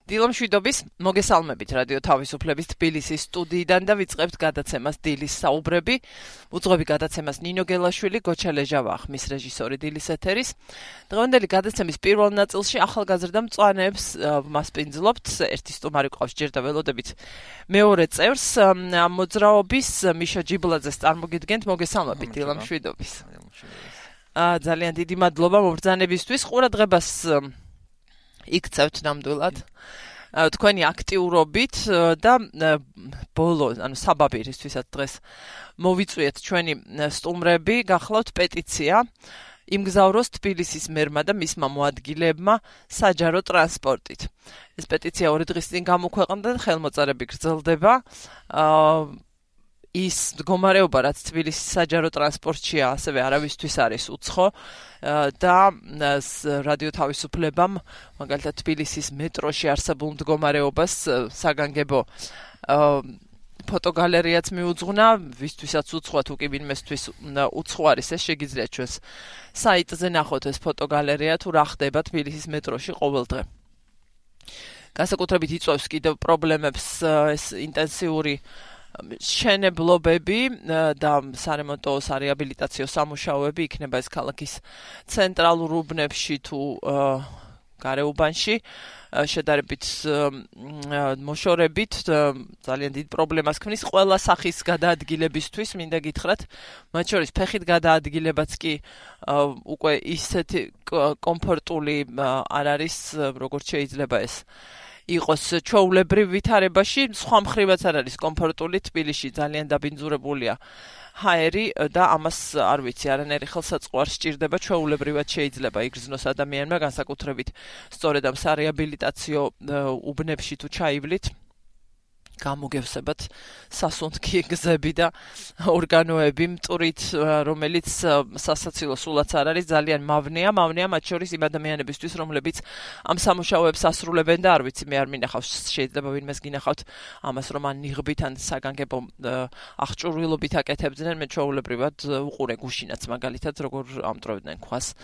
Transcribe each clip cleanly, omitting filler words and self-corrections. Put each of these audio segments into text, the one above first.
დილამშვიდობის მოგესალმებით რადიო თავისუფლების თბილისის სტუდიიდან და ვიწყებთ გადაცემას დილის საუბრები. უძღვები გადაცემას ნინო გელაშვილი, გოჩა ლეჟავა ხმის რეჟისორი დილის ეთერის. დღევანდელი გადაცემის პირველ ნაწილში ახალგაზრდა მწვანეებს მასპინძლობთ. ერთი სტუმარი ყავს ჯერ და ველოდებით მეორე წევრს მოძრაობის მიშა ჯიბლაძეს წარმოგიდგენთ. მოგესალმებით დილამშვიდობის. ძალიან დიდი მადლობა მობრძანებისთვის. ყურადღებას იქცევთ ნამდვილად თქვენი აქტიურობით და ბოლო, საბაბირისთვისაც დღეს მოვიწვიეთ ჩვენი სტუმრები, გახლავთ პეტიცია იმგზავროს თბილისის მერმა და მისმა მოადგილებმა საჯარო ტრანსპორტით. ეს პეტიცია 2 დღის წინ გამოქვეყნდა და ხელმოწერები გრძელდება. ის მდგომარეობა, რაც თბილისის საჯარო ტრანსპორტშია, ასევე არავისთვის არის უცხო და რადიო თავისუფლებამ, მაგალითად თბილისის მეტროში არსებულ მდგომარეობას საგანგებო ფოტოგალერეაც მიუძღვნა, ვისთვისაც უცხოა, თუ კი ვინმესთვის უცხო არის, ეს შეგიძლიათ ჩვენს საიტზე ნახოთ ეს ფოტოგალერეა, თუ რა ხდება თბილისის მეტროში ყოველდღე. განსაკუთრებით იწვევს კიდევ პრობლემებს ეს ინტენსიური შენებლობები და სარემონტო სარეაბილიტაციო სამუშაოები იქნება ეს ქალაქის ცენტრალურ უბნებში თუ გარეუბანში შედარებით მოშორებით ძალიან დიდ პრობლემას ქმნის ყველა სახის გადაადგილებისთვის მინდა გითხრათ მათ შორის ფეხით გადაადგილებაც კი უკვე ისეთი კომფორტული არ არის როგორც შეიძლება ეს იყოს ჩვეულებრივ ვითარებაში, სხვა მხრივაც არ არის კომფორტული თბილისში, ძალიან დაბინძურებულია ჰაერი და ამას არ ვიცი, არანაირი ხელსაწყო არ სჭირდება, ჩვეულებრივად შეიძლება იგრძნოს ადამიანმა, განსაკუთრებით სწორედ ამ სარეაბილიტაციო უბნებში თუ ჩაივლით. გამოგევსებათ სასუნთქი გზები და ორგანოები მტვრით, რომელიც სასაცილო სულაც არ არის, ძალიან მავნეა მათ შორის იმ ადამიანებისთვის, რომლებიც ამ სამუშაოებს ასრულებენ და არ ვიცი, მე არ მინახავს, შეიძლება ვინმეს გინახავთ ამას, რომ ან ნიღბით ან საგანგებო აღჭურვილობით აკეთებდნენ, მე ჩვეულებრივად უყურე გუშინაც მაგალითად, როგორ ამტვრევდნენ ქვას.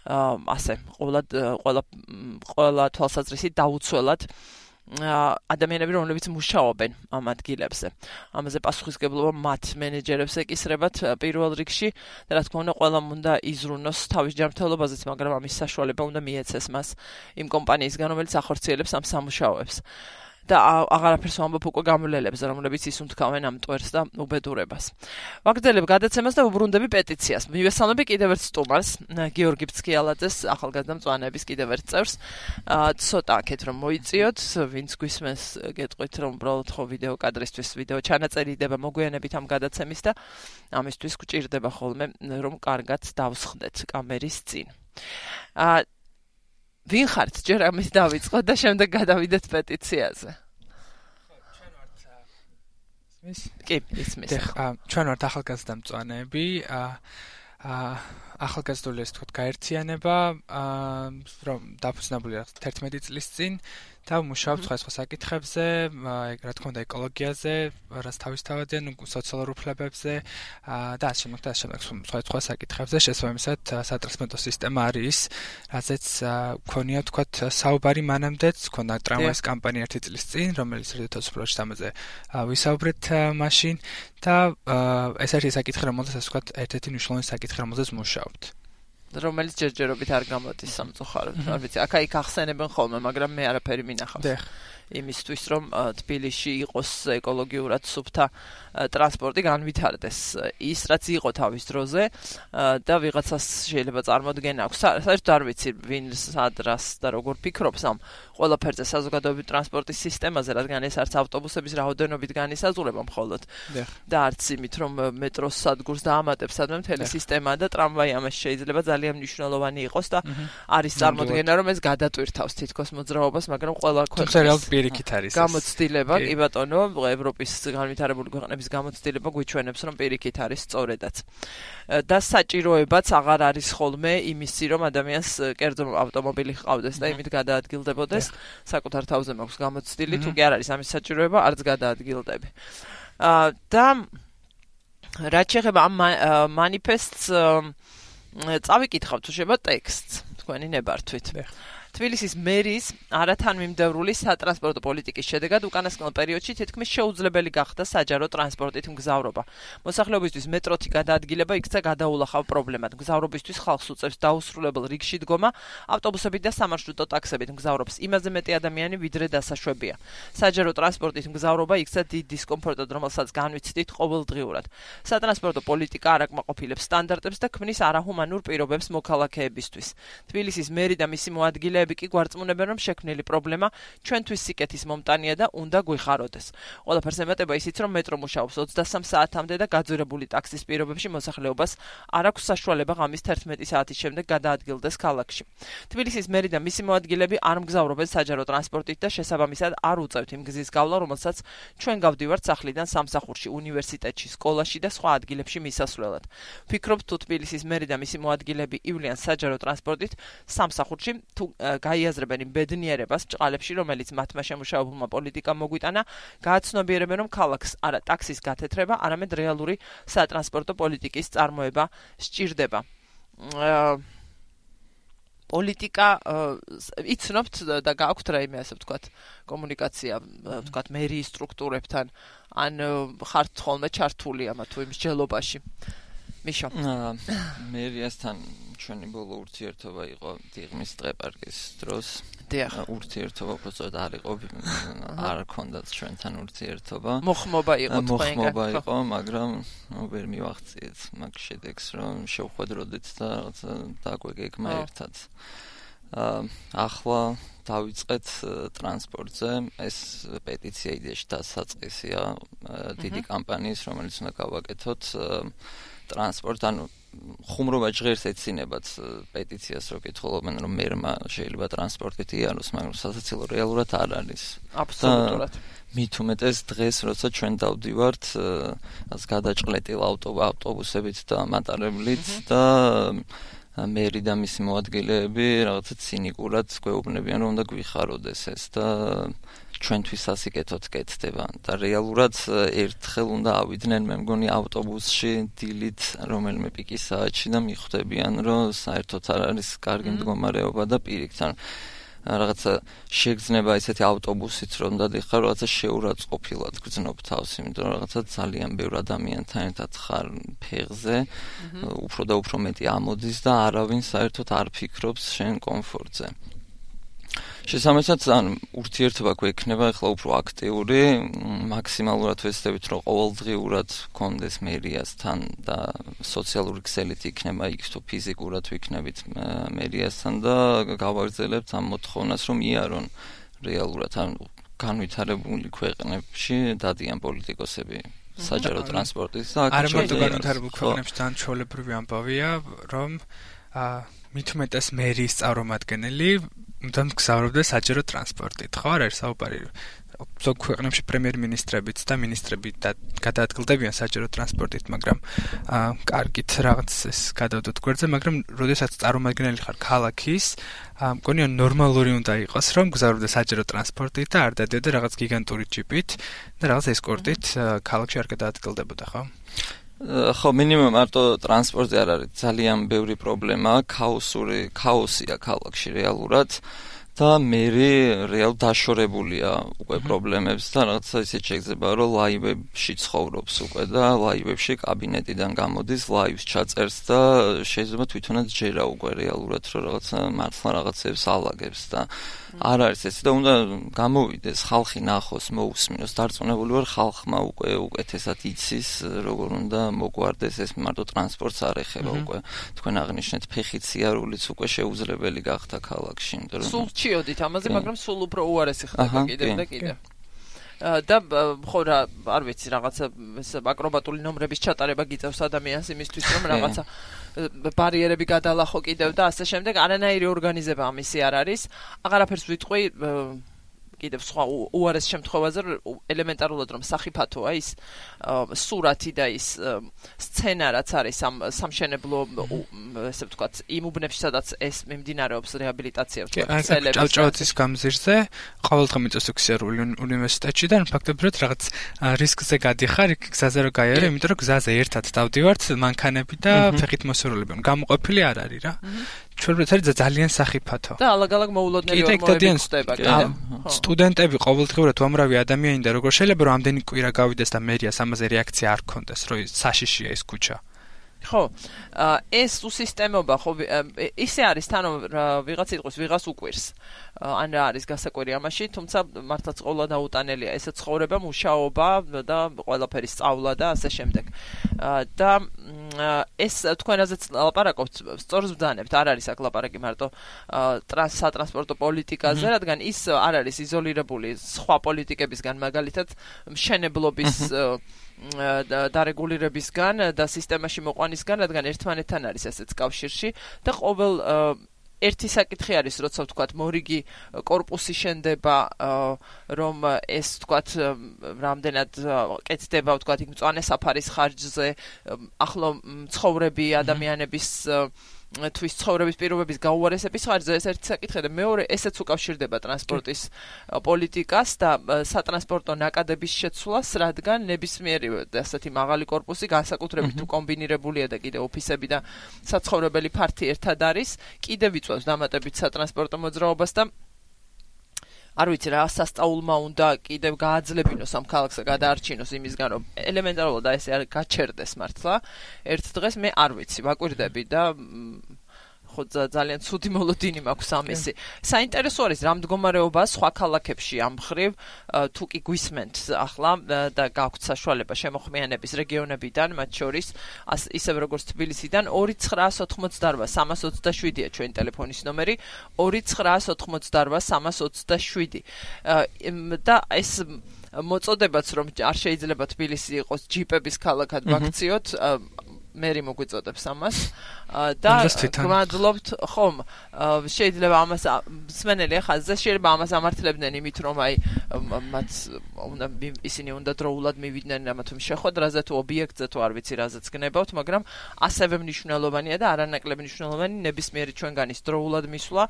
ასე, ყველა თვალსაზრისით დაუცველად ადამიანები, რომლებიც მუშაობენ ამ ადგილებზე. ამაზე პასუხისმგებლობა მათ მენეჯერებს ეკისრებათ პირველ რიგში და რა თქმა უნდა, ყველამ უნდა იზრუნოს თავის ჯანმრთელობაზეც, მაგრამ ამის საშუალება უნდა მიეცეს მას იმ კომპანიისგან, რომელიც ახორციელებს ამ სამუშაოებს. და აღარაფერს ვამბობ უკვე გამლელებს, რომლებიც ისუნთქავენ ამ მტვერს და უბედურებას. ვაგრძელებ გადაცემას და ვუბრუნდები პეტიციას. მივესალმები კიდევ ერთ სტუმარს, გიორგი ბცქიალაძეს, ახალგაზრდა მწვანეების კიდევ ერთ წევრს. ცოტა აქეთ რომ მოიწიოთ, ვინც გვისმენს, გეტყვით რომ უბრალოდ ხო ვიდეო კადრისთვის ვიდეო ჩანაწერი იდება მოგვიანებით ამ გადაცემის და ამისთვის გვჭირდება ხოლმე რომ კარგად დავსხდეთ კამერის წინ. ვინ ხართ ჯერ ამის დავიწყოთ და შემდეგ გადავიდეთ პეტიციაზე. ჩვენ ვართ ახალგაზრდა მწვანეები, ახალგაზრდული ეს თქვათ გაერთიანება, რომ დაფუძნებულია 11 წლის წინ და მუშაობ სხვა საკითხებზე, რა თქმა უნდა ეკოლოგიაზე, რაც თავისთავადია, სოციალურ უფლებებზე და ასე შემდეგ სხვა საკითხებზე, შესაბამისად სატრანსპორტო სისტემა არის, რაზეც მქონია თქვათ საუბარი მანამდეც, მქონდა ტრამვაის კამპანია 1 წლის წინ, რომელიც რადიო თავისუფლებაში ამაზე ვისაუბრეთ მაშინ და ეს არის საკითხი, რომელზეც ასე ვთქვათ, ერთ-ერთი მნიშვნელოვანი საკითხი, რომელზეც მუშაობთ. რომელიც ჯერჯერობით არ გამოდის სამწუხაროდ. არ ვიცი, აქა-იქ ახსენებენ ხოლმე, მაგრამ მე არაფერი მინახავს. იმისთვის, რომ თბილისში იყოს ეკოლოგიურად სუფთა ტრანსპორტი განვითარდეს. ის, რაც იყო თავის დროზე და ვიღაცას შეიძლება წარმოდგენა აქვს. საერთოდ არ ვიცი, ვინ სადრას და როგორ ფიქრობს ამ ყველაფერზე საზოგადოებრივი ტრანსპორტის სისტემაზე, რადგან ეს არც ავტობუსების რაოდენობით განისაზღვრება მხოლოდ და არც იმით, რომ მეტროს სადგურს დაამატებს სადმე მთელი სისტემა და ტრამვაი ამას შეიძლება ძალიან მნიშვნელოვანი იყოს და არის წარმოდგენა, რომ ეს გადატვირთავს თითქოს მოძრაობას, მაგრამ ყველა ქვეყნის პირიქით არის გამოცდილება, კი ბატონო, ევროპის განვითარებული ქვეყნების გამოცდილება გვიჩვენებს, რომ პირიქით არის სწორედაც. და საჭიროებაც აღარ არის ხოლმე იმისი, რომ ადამიანს კერძო ავტომობილი ჰყავდეს და იმით გადაადგილდებოდეს. საკუთარ თავზე მაქვს გამოცდილი, თუ კი არ არის ამის საჭიროება, არც გადაადგილდები. და რაც შეეხება ამ მანიფესტს წავიკითხავთ თუ შეიძლება ტექსტს თქვენი ნებართვით. თბილისის მერის არათანმიმდევრული სატრანსპორტო პოლიტიკის შედეგად უკანასკნელ პერიოდში თითქმის შეუძლებელი გახდა საჯარო ტრანსპორტით მგზავრობა. მოსახლეობისთვის მეტროთი გადაადგილება იქცა გადაულახავ პრობლემად. მგზავრობისთვის ხალხს უწევს დაუსრულებელ რიგში დგომა, ავტობუსებით და სამარშრუტო ტაქსებით მგზავრობს იმაზე მეტი ადამიანი, ვიდრე დასაშვებია. საჯარო ტრანსპორტით მგზავრობა იქცა დიდ დისკომფორტად, რომელსაც განვიცდით ყოველდღიურად. სატრანსპორტო პოლიტიკა არ აკმაყოფილებს სტანდარტებს და ქმნის არაჰუმანურ პირობებს მოქალაქეებისთვის. თბილისის მერი და მისი მოადგილეები კი გვარწმუნებენ, რომ შექმნილი პრობლემა ჩვენთვის სიკეთის მომტანია და უნდა გვიხაროდეს. ყველაფერს ემატება ისიც, რომ მეტრო მუშაობს 23 საათამდე და გაძვირებული ტაქსის პირობებში მოსახლეობას არ აქვს საშუალება ღამის 11 საათის შემდეგ გადაადგილდეს ქალაქში. თბილისის მერი და მისი მოადგილეები არ მგზავრობენ საჯარო ტრანსპორტით და შესაბამისად არ უწევთ იმ გზის გავლა, რომელსაც ჩვენ გავდივართ სახლიდან სამსახურში, უნივერსიტეტში, სკოლაში და სხვა ადგილებში მისასვლელად. ვფიქრობ, თუ თბილისის მერი და მისი მოადგილეები ივლიან საჯარო ტრანსპორტით სამსახურში, თუ გაიაზრებენ იმ ბედნიერებას ჭყალებში, რომელიც მათმა შემუშავებულმა პოლიტიკამ მოგვიტანა, გააცნობიერებენ, რომ ქალაქს არა ტაქსის გათეთრება, არამედ რეალური სატრანსპორტო პოლიტიკის წარმოება სჭირდება. პოლიტიკა იცნობთ და გააქვთ რაიმე ასე ვთქვათ კომუნიკაცია ვთქვათ მერიის სტრუქტურებთან ან ხართ ხოლმე ჩართული ამა თუ იმ მსჯელობაში. მიშო. მერიასთან ჩვენი ბოლო ურთიერთობა იყო დიღმის დღეპარკის დროს. ურთიერთობა უბრალოდ არ იყო, არ ჰქონდათ ჩვენთან ურთიერთობა. მოხმობა იყო თქვენგან. მოხმობა იყო, მაგრამ ვერ მივახციეთ მაგ შედეგს, რომ შევხვედროდეთ და რაღაცა დაგვეგეგმა ერთად. ახლა დავიწყეთ ტრანსპორტზე, ეს პეტიცია იდეაში დასაწყისია დიდი კამპანიის, რომელიც უნდა გავაკეთოთ ტრანსპორტ, ანუ ხუმრობა ჟღერს ეცინებათ პეტიციას, რო კითხულობენ, რომ მერმა შეიძლება ტრანსპორტით იაროს, მაგრამ სასაცილო რეალურად არ არის. აბსოლუტურად. მით უმეტეს დღეს, როცა ჩვენ დავდივართ გადაჭყლეტილ ავტობუსებით და მატარებლით და მერი და მისი მოადგილეები რაღაცა ცინიკურად გვეუბნებიან, რომ უნდა გვიხაროდეს ეს და ჩვენთვის ასიკეთოთ კეთდება და რეალურად ერთხელ უნდა ავიდნენ მე მგონი ავტობუსში დილით რომელიმე პიკის საათში და მიხვდებიან, რომ საერთოდ არ არის კარგი მდგომარეობა და პირიქით რაღაცა შეგრძნება ესეთი ავტობუსით რომ დადიხარ, რაღაცა შეურაცხყოფილად გრძნობ თავს, იმიტომ რომ რაღაცა ძალიან ბევრ ადამიანთან ერთად ხარ ფეხზე, უფრო და უფრო მეტი ამოდის და არავინ საერთოდ არ ფიქრობს შენ კომფორტზე. შესაბამისად, ურთიერთობა გვექნება ახლა უფრო აქტიური, მაქსიმალურად ვეცდებით, რომ ყოველდღიურად გქონდეს მერიასთან და სოციალური ქსელით იქნება იქ თუ ფიზიკურად ვიქნებით მერიასთან და გავაგრძელებთ ამ მოთხოვნას, რომ იარონ რეალურად განვითარებული ქვეყნებში დადიან პოლიტიკოსები საჯარო ტრანსპორტის და არ მარტო განვითარებულ ქვეყნებში თან ჩვეულებრივი ამბავია, რომ მით უმეტეს მერის წარმომადგენელი უნდა მგზავრობდეს საჯარო ტრანსპორტით, ხო არ არის საუბარი? ზოგ ქვეყნებში პრემიერ-მინისტრებიც და მინისტრები გადაადგილდებიან საჯარო ტრანსპორტით, მაგრამ კარგით რაღაც ეს გადავდოთ გვერდზე, მაგრამ როდესაც წარმომადგენელი ხარ ქალაქის, მგონია ნორმალური უნდა იყოს, რომ მგზავრობდეს საჯარო ტრანსპორტით და არ დადიოდა რაღაც გიგანტური ჯიპით და რაღაც ესკორტით ქალაქში არ გადაადგილდებოდა, ხო? ხო, მინიმუმ მარტო ტრანსპორტზე არ არის ძალიან ბევრი პრობლემა, ქაოსია ქალაქში რეალურად და მერი რეალ დაშორებულია უკვე პრობლემებს და რაღაცა ისე შეიძლება, რომ ლაივებში ცხოვრობს უკვე და ლაივებში კაბინეტიდან გამოდის, ლაივს ჩაწერს და შეიძლება თვითონაც ჯერა უკვე რეალურად, რომ რაღაცა მართლა რაღაცებს ალაგებს და არ არის ესე და უნდა გამოვიდეს, ხალხი ნახოს, მოусმინოს, დარწმუნებული ვარ ხალხმა უკვე უკეთესად იცის, როგორ უნდა მოგვარდეს ეს მარტო ტრანსპორტს არ ეხება უკვე. თქვენ აღნიშნეთ ფეხით სიარულიც უკვე შეუძლებელი გახდა ქალაქში, იმიტომ რომ სულ ჩიოდით ამაზე, მაგრამ სულ უფრო უარესი ხდება კიდევ და კიდევ. და ხო რა, არ ვიცი, რაღაცა აკრობატული ნომრების ჩატარება გიწევს ადამიანს იმისთვის, რომ რაღაცა ბარიერები გადალახო კიდევ და ასე შემდეგ, არანაირი ორგანიზება ამისი არ არის. აღარაფერს ვიტყვი კიდევ სხვა უარეს შემთხვევაზე, ელემენტარულად რომ სახიფათოა ის სურათი და ის სცენა რაც არის ამ სამშენებლო ესე ვთქვათ იმ უბნებში სადაც ეს მიმდინარეობს რეაბილიტაცია ვთქვათ ცელების ჭავჭავაძის გამზირზე ყოველდღე მიწევს ოქსიარული უნივერსიტეტში და ფაქტობრივად რაღაც რისკზე გადიხარ იქ გზაზე რომ გაიარე, იმიტომ რომ გზაზე ერთად დავდივართ მანქანები და ფეხით მოსურულები. გამოყოფილი არ არის რა. ჩვენებრივ ძალიან სახიფათო. და ალაგ-ალაგ მოულოდნელი ორმოები ხდება, კიდე. სტუდენტები ყოველდღიურად უამრავი ადამიანი და როგორ შეიძლება რომ ამდენი კვირა გავიდეს და მერიას ამაზე რეაქცია არ ქონდეს, რომ საშიშია ეს ქუჩა. ხო, ეს უსისტემობა ხო ისე არის თან ვიღაც იყოს ვიღას უკვირს. ან რა არის გასაკვირი ამაში, თუმცა მართლაც ყოლა დაუტანელია ეს ცხოვრება, მუშაობა და ყველაფერი სწავლა და ასე შემდეგ. და ეს თქვენ რაზეც ლაპარაკობთ, სწორს ვძანებთ, არ არის აქ ლაპარაკი მარტო სატრანსპორტო პოლიტიკაზე, რადგან ის არ არის იზოლირებული სხვა პოლიტიკებისგან, მაგალითად მშენებლობის დარეგულირებისგან და სისტემაში მოყვანისგან, რადგან ერთმანეთთან არის ასეც კავშირში და ყოველ ერთი საკითხი არის, როცა ვთქვათ, მორიგი კორპუსი შენდება, რომ ეს ვთქვათ, რამდენად კეთდება, ვთქვათ, იქ მწვანე საფარის ხარჯზე, ახლო ცხოვრები ადამიანების თვის ცხოვრების პირობების გაუარესების ხარჯზე ეს ერთი საკითხია და მეორე ესეც უკავშირდება ტრანსპორტის პოლიტიკას და სატრანსპორტო ნაკადების შეცვლას, რადგან ნებისმიერი ასეთი მაღალი კორპუსი განსაკუთრებით თუ კომბინირებულია და კიდე ოფისები და საცხოვრებელი ფართი ერთად არის, კიდევ იწვევს დამატებით სატრანსპორტო მოძრაობას და არ ვიცი რა სასწაულმა უნდა კიდევ გააძლებინოს ამ ქალაქსა გადაარჩინოს იმისგან რომ ელემენტარულად ეს არ გაჩერდეს მართლა ერთ დღეს მე არ ვიცი ვაკვირდები და ხო ძალიან ცუდი მოლოდინი მაქვს ამისი. საინტერესო არის რა მდგომარეობა სხვა ქალაქებში ამ მხრივ თუ კი გვისმენთ ახლა და გაქვთ საშუალება შემოხმიანების რეგიონებიდან, მათ შორის ისევ როგორც თბილისიდან 2988-327-ია ჩვენი ტელეფონის ნომერი 2988-327 და ეს მოწოდებაც რომ არ შეიძლება თბილისი იყოს ჯიპების ქალაქად ვაქციოთ მერი მოგვიწოდებს ამას და გმადლობთ ხომ შეიძლება ამას მსმენელი ხაზზე შეიძლება ამას ამართლებდნენ იმით რომ აი მათ ისინი უნდა დროულად მივიდნენ ამათ შეხვედრაზე თუ ობიექტზე თუ არ ვიცი რაზეც გნებავთ მაგრამ ასევე მნიშვნელოვანია და არანაკლები მნიშვნელოვანი ნებისმიერი ჩვენგანის დროულად მისვლა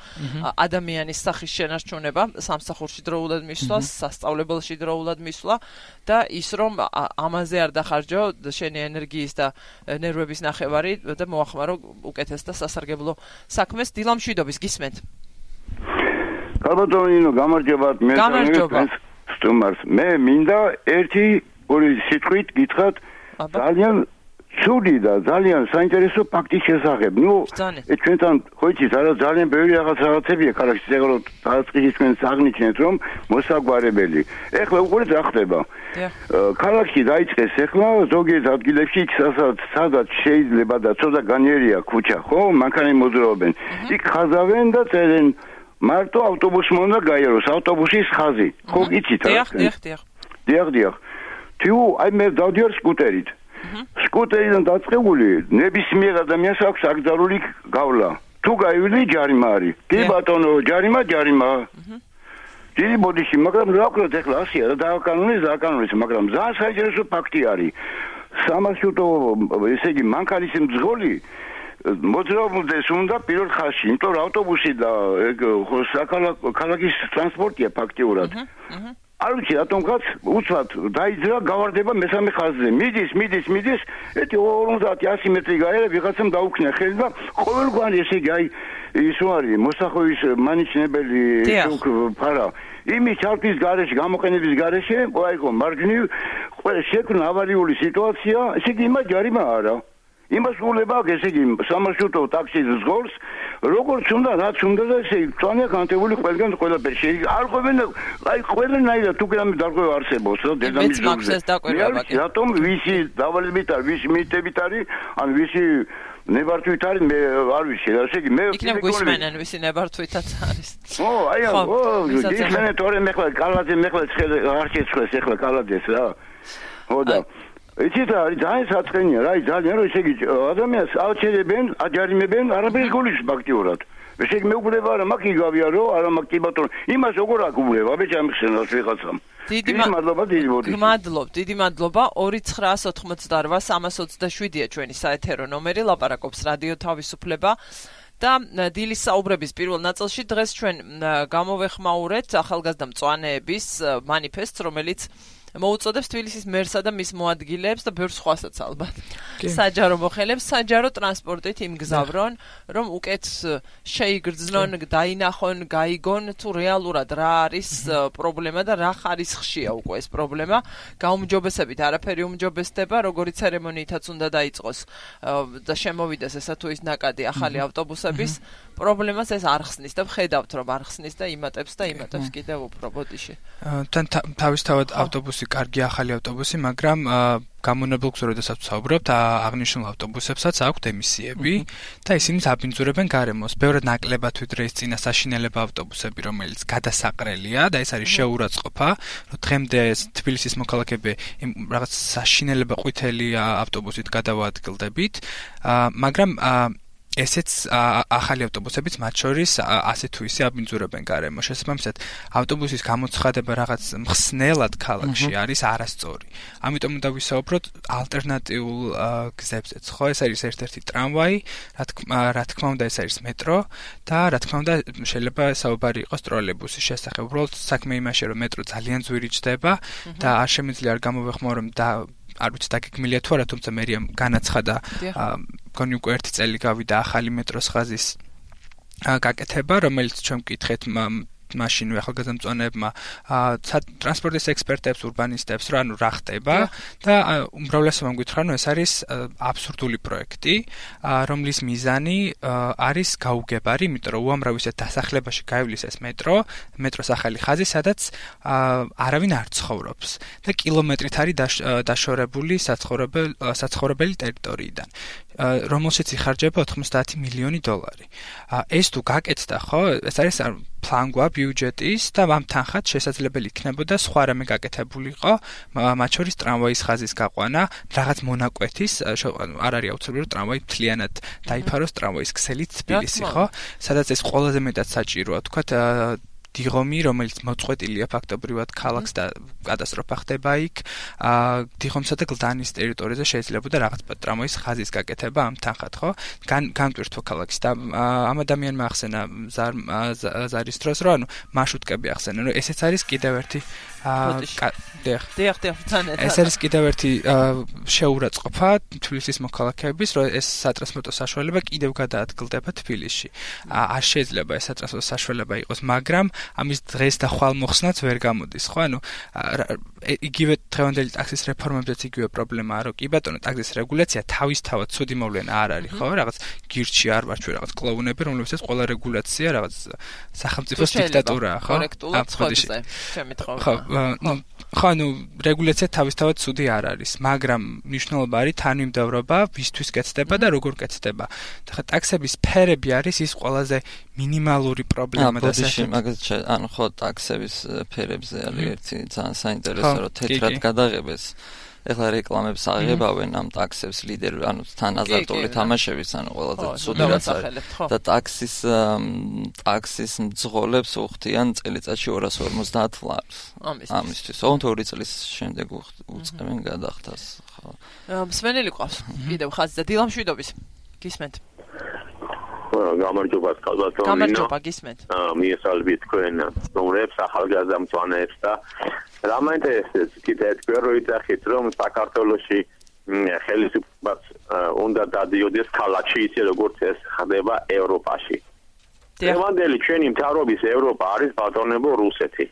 ადამიანის სახის შენარჩუნება სამსახურში დროულად მისვლა სასწავლებელში დროულად მისვლა და ის რომ ამაზე არ დახარჯო შენი ენერგიის და ნერვების ნახევარი და მოახმარო უკეთეს და სასარგებლო საქმეს დილამშვიდობის გისმენთ. კარბატონინო გამარჯობათ მე სტუმარს მე მინდა ერთი ორი სიტყვით გითხრათ ძალიან ცუდი და ძალიან საინტერესო ფაქტის შესახებ. ნუ ჩვენთან ხო იცით არა ძალიან ბევრი რაღაცებია ქალაქში ეგ რომ დაწყილი თქვენ საგნიშნეთ რომ მოსაგვარებელი. ეხლა უყურეთ რა ხდება. ქალაქში დაიწყეს ეხლა ზოგიერთ ადგილებში სადაც შეიძლება და ცოტა განიერია ქუჩა ხო მანქანები მოძრაობენ. იქ ხაზავენ და წერენ მარტო ავტობუსი უნდა გაიაროს ავტობუსის ხაზი. ხო იცით რა? დიახ. თუ აი მე დავდივარ სკუტერით. სკუტერიდან დაწყებული ნებისმიერ ადამიანს აქვს აკრძალული გავლა. თუ გაივლის ჯარიმა არის. კი ბატონო, ჯარიმა. დიდი ბოდიში, მაგრამ რა ვქნათ ეხლა ასია და დააკანონეს, მაგრამ ძალიან საინტერესო ფაქტი არის. სამარშრუტო, ესე იგი, მანქანის მძღოლი მოძრაობდეს უნდა პირველ ხაზში, იმიტომ რომ ავტობუსი და ქალაქის ტრანსპორტია ფაქტიურად. არ ვიცი რატომღაც უცბად დაიძრა გავარდება მესამე ხაზზე. მიდის, ეთი 50-100 მეტრი გაერა ვიღაცამ დაუქნა ხელი და ყოველგვარი ესე იგი აი ის არის მოსახოვის მანიშნებელი ფარა. იმის ჩართვის გარეშე, გამოყენების გარეშე, აიღო მარჯვნივ ყველა შექმნა ავარიული სიტუაცია, ესე იგი იმას ჯარიმა არა. იმას უვლება ესე იგი სამარშრუტო ტაქსის ზღოლს როგორც უნდა რაც უნდა და ესე იგი წვანია განთებული ყველგან ყველაფერი შეიძლება არ ყვებენ აი ყველანაირად თუ გრამი დარღვევა არსებობს და დედამისზე რატომ ვისი დავალებით არის ვისი მიტებით არის ან ვისი ნებართვით არის მე არ ვიცი რა ესე იგი მე იქნებ გვისმენენ ვისი ნებართვითაც არის ო აი ისმენე თორე მე ხლა კალაძე მე ხლა არ შეცხვეს ეხლა კალაძეს რა ხო და იცით არის ძალიან საწყენია რა ძალიან რომ ესე იგი ადამიანს აჩერებენ აჯარიმებენ არაფერი გულის ფაქტიურად ესე იგი მეუბრება რა მაქვს იგავიარო არა მაქვს კი ბატონო იმას როგორ აკუბრება ბეჭამხსენას ვიღაცამ დიდი მადლობა დიდი მადლობა 2988-327-ია ჩვენი საეთერო ნომერი ლაპარაკობს რადიო თავისუფლება და დილის საუბრების პირველ ნაწილში დღეს ჩვენ გამოვეხმაურეთ ახალგაზრდა მწვანეების მანიფესტს რომელიც მოუწოდებს თბილისის მერსა და მის მოადგილეებს და ბევრ სხვასაც ალბათ. საჯარო მოხელებს საჯარო ტრანსპორტით იმგზავრონ, რომ უკეთ შეიგრძნონ, დაინახონ, გაიგონ თუ რეალურად რა არის პრობლემა და რა ხარისხშია უკვე ეს პრობლემა. გაუმჯობესებით არაფერი უმჯობესდება, როგორი ცერემონიითაც უნდა დაიწყოს და შემოვიდეს ესა თუ ის ნაკადი ახალი ავტობუსების პრობლემას ეს არ ხსნის და ვხედავთ რომ არ ხსნის და იმატებს კიდევ უფრო ბოდიში. თან თავისთავად ავტობუსი კარგი ახალი ავტობუსი, მაგრამ გამონებულ გზურებასაც ვსაუბრობთ, აღნიშნულ ავტობუსებსაც აქვთ ემისიები და ისინი აბინძურებენ გარემოს. ბევრად ნაკლებად ვიდრე ის წინა საშინელება ავტობუსები, რომელიც გადასაყრელია და ეს არის შეურაცხყოფა, რომ დღემდე თბილისის მოქალაქეები რაღაც საშინელება ყვითელი ავტობუსით გადავაადგილდებით, მაგრამ ესეც ახალი ავტობუსებიც მათ შორის ასე თუ ისე აბინძურებენ გარემო. შესაბამისად, ავტობუსის გამოცხადება რაღაც მხსნელად ქალაქში არის არასწორი. ამიტომ უნდა ვისაუბროთ ალტერნატიულ გზებზეც, ხო? ეს არის ერთ-ერთი ტრამვაი, რა თქმა უნდა, ეს არის მეტრო და რა თქმა უნდა, შეიძლება საუბარი იყოს ტროლეიბუსის შესახებ. უბრალოდ საქმე იმაშია, რომ მეტრო ძალიან ძვირი ჯდება და არ შემიძლია არ გამოვეხმაო, რომ არ ვიცი დაგეგმილია თუ არა, თუმცა მერიამ განაცხადა გონი უკვე 1 წელი გავიდა ახალი მეტროს ხაზის გაკეთება, რომელიც ჩვენ ვკითხეთ მაშინვე ახალგაზრდა მწვანეებმა ტრანსპორტის ექსპერტებს, ურბანისტებს, რა ხდება და უმრავლესობამ გითხრა, რომ ეს არის აბსურდული პროექტი, რომლის მიზანი არის გაუგებარი, იმიტომ რომ უამრავ ისეთ დასახლებაში გაივლის ეს მეტროს ახალი ხაზი, სადაც არავინ არ ცხოვრობს და კილომეტრით არის დაშორებული საცხოვრებელი ტერიტორიიდან, რომელშიც იხარჯება 90 მილიონი დოლარი. ეს თუ გაკეთდა, ხო, ეს არის ფლანგვა ბიუჯეტის და ამ თანხად შესაძლებელი იქნებოდა სხვა რამე გაკეთებულიყო, მათ შორის ტრამვაის ხაზის გაყვანა, რაღაც მონაკვეთის, არ არის აუცილებელი რომ ტრამვაი მთლიანად დაიფაროს ტრამვაის ქსელით თბილისი, ხო? სადაც ეს ყველაზე მეტად საჭიროა, თქვათ დიღომი, რომელიც მოწყვეტილია ფაქტობრივად ქალაქს და კატასტროფა ხდება იქ, დიღომსა და გლდანის ტერიტორიაზე შეიძლებოდა რაღაც ტრამვაის ხაზის გაკეთება ამ თანხად, ხო? განტვირთვა ქალაქის და ამ ადამიანმა ახსენა ზარის დროს, რომ მარშრუტკები ახსენა, რომ ესეც არის კიდევ ერთი ეს არის კიდევ ერთი შეურაცხყოფა თბილისის მოქალაქეების, რომ ეს სატრანსპორტო საშუალება კიდევ გადაადგილდება თბილისში. არ შეიძლება ეს სატრანსპორტო საშუალება იყოს, მაგრამ ამის დღეს და ხვალმოხსნაც ვერ გამოდის, ხო? ანუ იგივე დღევანდელი ტაქსის რეფორმებზეც იგივე პრობლემაა, რომ კი ბატონო, ტაქსის რეგულაცია თავისთავად ცუდი მოვლენა არ არის, ხო? რაღაც გირჩი არ ვარ ჩვენ რაღაც კლოუნები, რომლებსაც ყველა რეგულაცია რაღაც სახელმწიფოს დიქტატურაა, ხო? კორექტულად ხოდზე, ჩემი თხოვნა. ხო, ანუ რეგულაცია თავისთავად ცუდი არ არის, მაგრამ მნიშვნელობა არის თანმიმდევრობა, ვისთვის კეთდება და როგორ კეთდება. და ტაქსების ფერები არის ის ყველაზე მინიმალური პრობლემა და მაგაზე ანუ ხო ტაქსების ფერებზე არის ერთი ძალიან საინტერესო, რომ თეთრად გადაღებეს. ეხლა რეკლამებს აღებავენ ამ ტაქსებს ლიდერი, ანუ თან აზარტული თამაშების, ანუ ყველაზე ცუდი რაც არის. და ტაქსის მძღოლებს უხდიან წელიწადში 250 ლარს. ამისთვის. ოღონდ 2 წლის შემდეგ უწყებენ გადახდას, ხო. მსმენელი ყავს. კიდევ ხაზი და დილამშვიდობის. გისმენთ. გამარჯობა კალბატონო. გამარჯობა, გისმენთ. მიესალმებით თქვენ სტუმრებს, ახალგაზრდა მწვანეებს და რა მაინტერესებს კიდე თქვენ რო იცახით რომ საქართველოში ხელისუფლებას უნდა დადიოდეს ქალაქში ისე როგორც ეს ხდება ევროპაში. დღევანდელი ჩვენი მთავრობის ევროპა არის ბატონებო რუსეთი.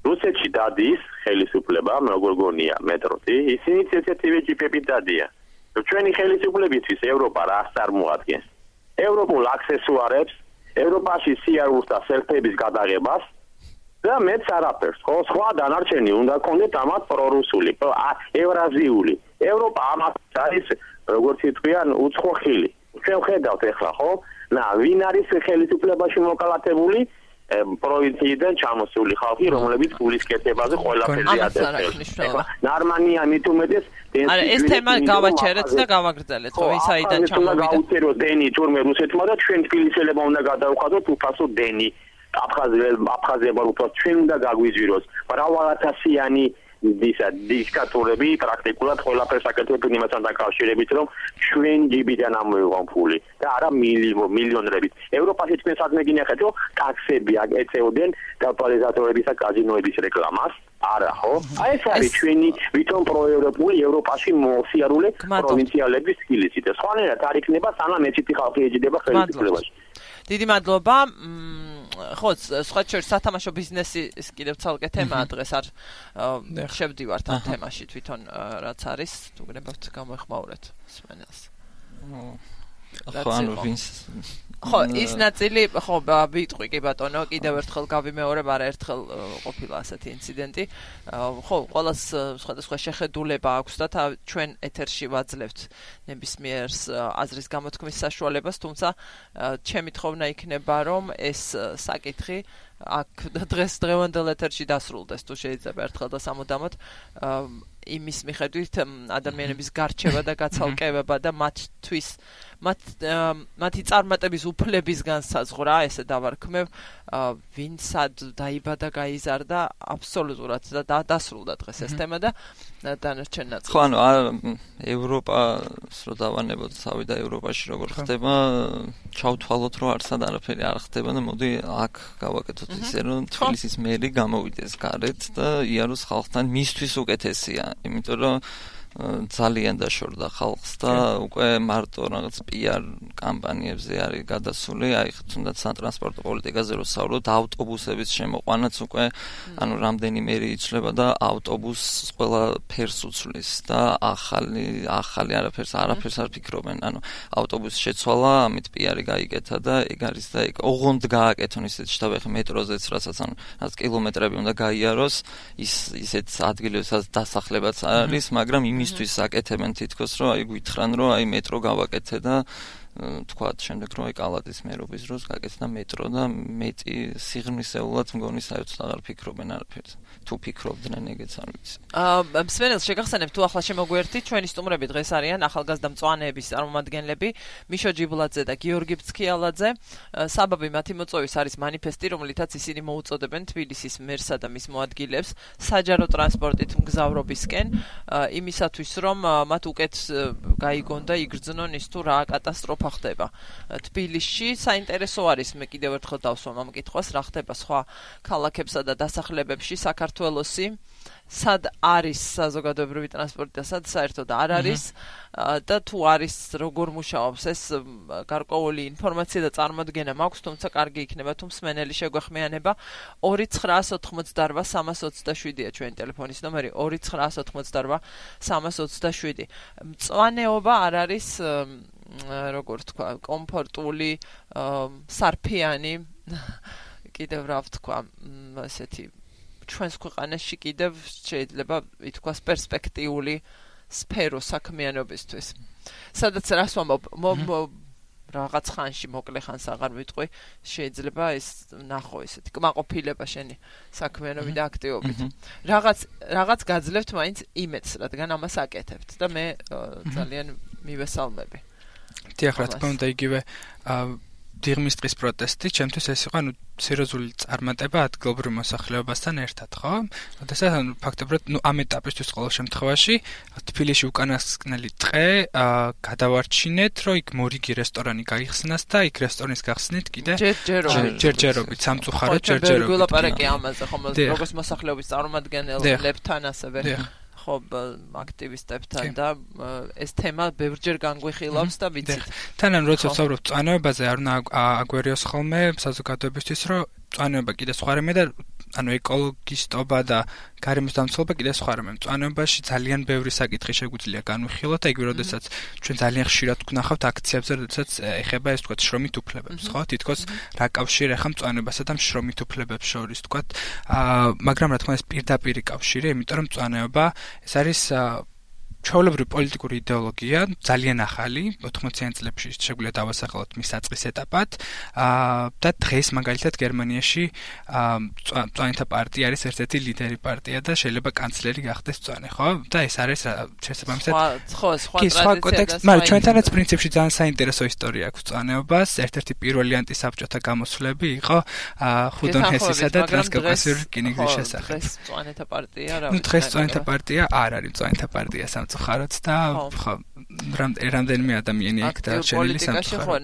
რუსეთში დადის ხელისუფლება, როგორ გონია მეტროთი, ისინი ესეთივე ჯიპებით დადიან. ჩვენი ხელისუფლებისთვის ევროპა რას წარმოადგენს? ევროპულ აქსესუარებს, ევროპაში სიარულს და სელფების გადაღებას და მეც არაფერს, ხო, სხვა დანარჩენი უნდა კონდეთ ამათ პრორუსული, ევრაზიული. ევროპა ამას არის, როგორც იტყვიან, უცხო ხილი. ჩვენ ხედავთ ახლა, ხო? ვინ არის ხელისუფლებაში მოკალათებული? პროვინციიდან ჩამოსული ხალხი, რომლებიც ფულის კეთებაზე ყველაფერზე აწევს. ნარმანია მით უმეტეს არა, ეს თემა გავაჩერეთ და გავაგრძელეთ, ხო, ის აიდან ჩამოვიდა. გაუწერო დენი თურმე რუსეთმა და ჩვენ თბილისელებმა უნდა გადავხადოთ უფასო დენი. აფხაზებმა უფასო ჩვენ უნდა გაგვიზვიროს. მრავალათასიანი დიქტატურები პრაქტიკულად ყველაფერს აკეთებენ იმასთან დაკავშირებით, რომ ჩვენ ჯიბიდან ამოიღონ ფული და არა მილიონობით. ევროპაში თქვენ საქმე გინახეთ, რომ ტაქსები აკეთებდნენ დაპალიზატორების და კაზინოების რეკლამას. არა, ხო? აი ეს არის ჩვენი თვითონ პროევროპული ევროპაში მოსიარულე პროვინციალების სკილიცი და სხვანაირად არ იქნება სანამ ეცეთი ხალხი ეჯდება ხელისუფლებაში. დიდი მადლობა. ხო, სხვა შორის სათამაშო ბიზნესის კიდევ ცალკე თემაა დღეს არ შევდივართ ამ თემაში თვითონ რაც არის, თუ გნებავთ გამოეხმაურეთ სმენელს. ხო, ანუ ვინც ხო, ის ნაწილი, ხო, ვიტყვი კი ბატონო, კიდევ ერთხელ გავიმეორებ, არაერთხელ ყოფილა ასეთი ინციდენტი. ხო, ყველას სხვადასხვა შეხედულება აქვს და ჩვენ ეთერში ვაძლევთ ნებისმიერს აზრის გამოთქმის საშუალებას, თუმცა ჩემი თხოვნა იქნება, რომ ეს საკითხი აქ დღევანდელ ეთერში დასრულდეს, თუ შეიძლება ერთხელ და სამუდამოდ იმის მიხედვით ადამიანების გარჩევა და გაცალკევება და მათი წარმატების უფლების განსაზღვრა, ესე დავარქმევ, ვინ სად დაიბადა, გაიზარდა, აბსოლუტურად და დასრულდა დღეს ეს თემა და დანარჩენ ნაწილი. ხო, ანუ ევროპას რო დავანებოთ თავი და ევროპაში როგორ ხდება, ჩავთვალოთ რომ არსად არაფერი არ ხდება და მოდი აქ გავაკეთოთ ისე რომ თბილისის მერი გამოვიდეს გარეთ და იაროს ხალხთან მისთვის უკეთესია, იმიტომ რომ ძალიან დაშორდა ხალხს და უკვე მარტო რაღაც PR კამპანიებზე არის გადასული, აი თუნდაც სატრანსპორტო პოლიტიკაზე რო საუბრობთ, ავტობუსების შემოყვანაც უკვე ანუ რამდენიმე იცვლება და ავტობუსს ყველა ფერს უცვლის და ახალი არაფერს არ ფიქრობენ, ანუ ავტობუსის შეცვალა, ამით PR გაიკეთა და ეგ არის და ეგ ოღონდ გააკეთონ ისეთ შტაბი მეტროზეც რასაც ანუ რაც კილომეტრები უნდა გაიაროს, ისეთ ადგილებსაც დასახლებაც არის, მაგრამ იმისთვის აკეთებენ თითქოს რომ აი გვითხრან რომ აი მეტრო გავაკეთე და თქვათ შემდეგ რომ აი კალადის მერობის დროს გაკეთდა მეტრო და მეტი სიღრმისეულად მგონი საერთოდ აღარ ფიქრობენ არაფერს. თუ ფიქრობდნენ ეგეც არ ვიცი. მსმენელს შეგახსენებ თუ ახლა შემოგვერთით ჩვენი სტუმრები დღეს არიან ახალგაზრდა მწვანეების წარმომადგენლები მიშო ჯიბლაძე და გიორგი ფცქიალაძე. საბაბი მათი მოწვევის არის მანიფესტი, რომლითაც ისინი მოუწოდებენ თბილისის მერსა და მის მოადგილეებს საჯარო ტრანსპორტით მგზავრობისკენ, იმისათვის რომ მათ უკეთ გაიგონ და იგრძნონ ის თუ რა კატასტროფა ხდება თბილისში. საინტერესო არის, მე კიდევ ერთხელ დავსვამ ამ კითხვას, რა ხდება სხვა ქალაქებსა და დასახლებებში საქართველოსი, სად არის საზოგადოებრივი ტრანსპორტი და სად საერთოდ არ არის და თუ არის როგორ მუშაობს ეს გარკვეული ინფორმაცია და წარმოდგენა მაქვს, თუმცა კარგი იქნება თუ მსმენელი შეგვეხმიანება 2988327-ია ჩვენი ტელეფონის ნომერი 2988327. მწვანეობა არ არის როგორ თქვა, კომფორტული, სარფიანი, კიდევ რა ვთქვა, ასეთი ჩვენს ქვეყანაში კიდევ შეიძლება ითქვას პერსპექტიული სფერო საქმიანობისთვის. სადაც რას ვამბობ, რაღაც ხანში მოკლე ხანს აღარ ვიტყვი, შეიძლება ეს ნახო ესეთი კმაყოფილება შენი საქმიანობით და აქტივობით. რაღაც გაძლევთ მაინც იმედს, რადგან ამას აკეთებთ და მე ძალიან მივესალმები. დიახ, რა თქმა უნდა, იგივე დიღმის დღის პროტესტი, ჩემთვის ეს იყო, სერიოზული წარმატება ადგილობრივ მოსახლეობასთან ერთად, ხო? როდესაც ფაქტობრივად, ამ ეტაპისთვის ყოველ შემთხვევაში თბილისში უკანასკნელი დღე გადავარჩინეთ, რომ იქ მორიგი რესტორანი გაიხსნას და იქ რესტორნის გახსნით კიდე ჯერჯერობით, სამწუხაროდ ჯერჯერობით. გულაპარაკი ამაზე, ხომ, როგორც მოსახლეობის წარმომადგენლებთან ასევე. ხო, აქტივისტებთან და ეს თემა ბევრჯერ განგვიხილავს და ვიცით. თანან როცა ვსაუბრობ მწვანეობაზე, არ უნდა აგვერიოს ხოლმე საზოგადოებისთვის, რომ მწვანეობა კიდე სხვა რამე და ანუ ეკოლოგისტობა და გარემოს დამცველობა კიდე სხვა რამე. მწვანეობაში ძალიან ბევრი საკითხი შეგვიძლია განვიხილოთ, ეგ როდესაც ჩვენ ძალიან ხშირად ვნახავთ აქციებზე, როდესაც ეხება ეს თქვათ შრომით უფლებებს, ხო? თითქოს რა კავშირი ახლა მწვანეობასა და შრომით უფლებებს შორის, თქვათ, მაგრამ რა თქმა უნდა ეს პირდაპირი კავშირი, იმიტომ რომ მწვანეობა ეს არის ჩვეულებრივი პოლიტიკური იდეოლოგია, ძალიან ახალი, 80-იან წლებში შეგვიძლია დავასახელოთ მის საწყის ეტაპად და დღეს მაგალითად გერმანიაში მწვანეთა პარტია არის ერთ-ერთი ლიდერი პარტია და შეიძლება კანცლერი გახდეს მწვანე, ხო? და ეს არის შესაბამისად სხვა კონტექსტი, მაგრამ ჩვენთანაც პრინციპში ძალიან საინტერესო ისტორია აქვს მწვანეობას. ერთ-ერთი პირველი ანტისაბჭოთა გამოსვლები იყო ხუდონ ჰესისა და ტრანსკავკასიური რკინიგზის შესახებ. დღეს მწვანეთა პარტია რა? დღეს მწვანეთა პარტია არ არის მწვანეთა პარტია ხაროც და ხო რამდენიმე ადამიანი იქ დარჩენილი სამწუხაროდ. პოლიტიკაში ხო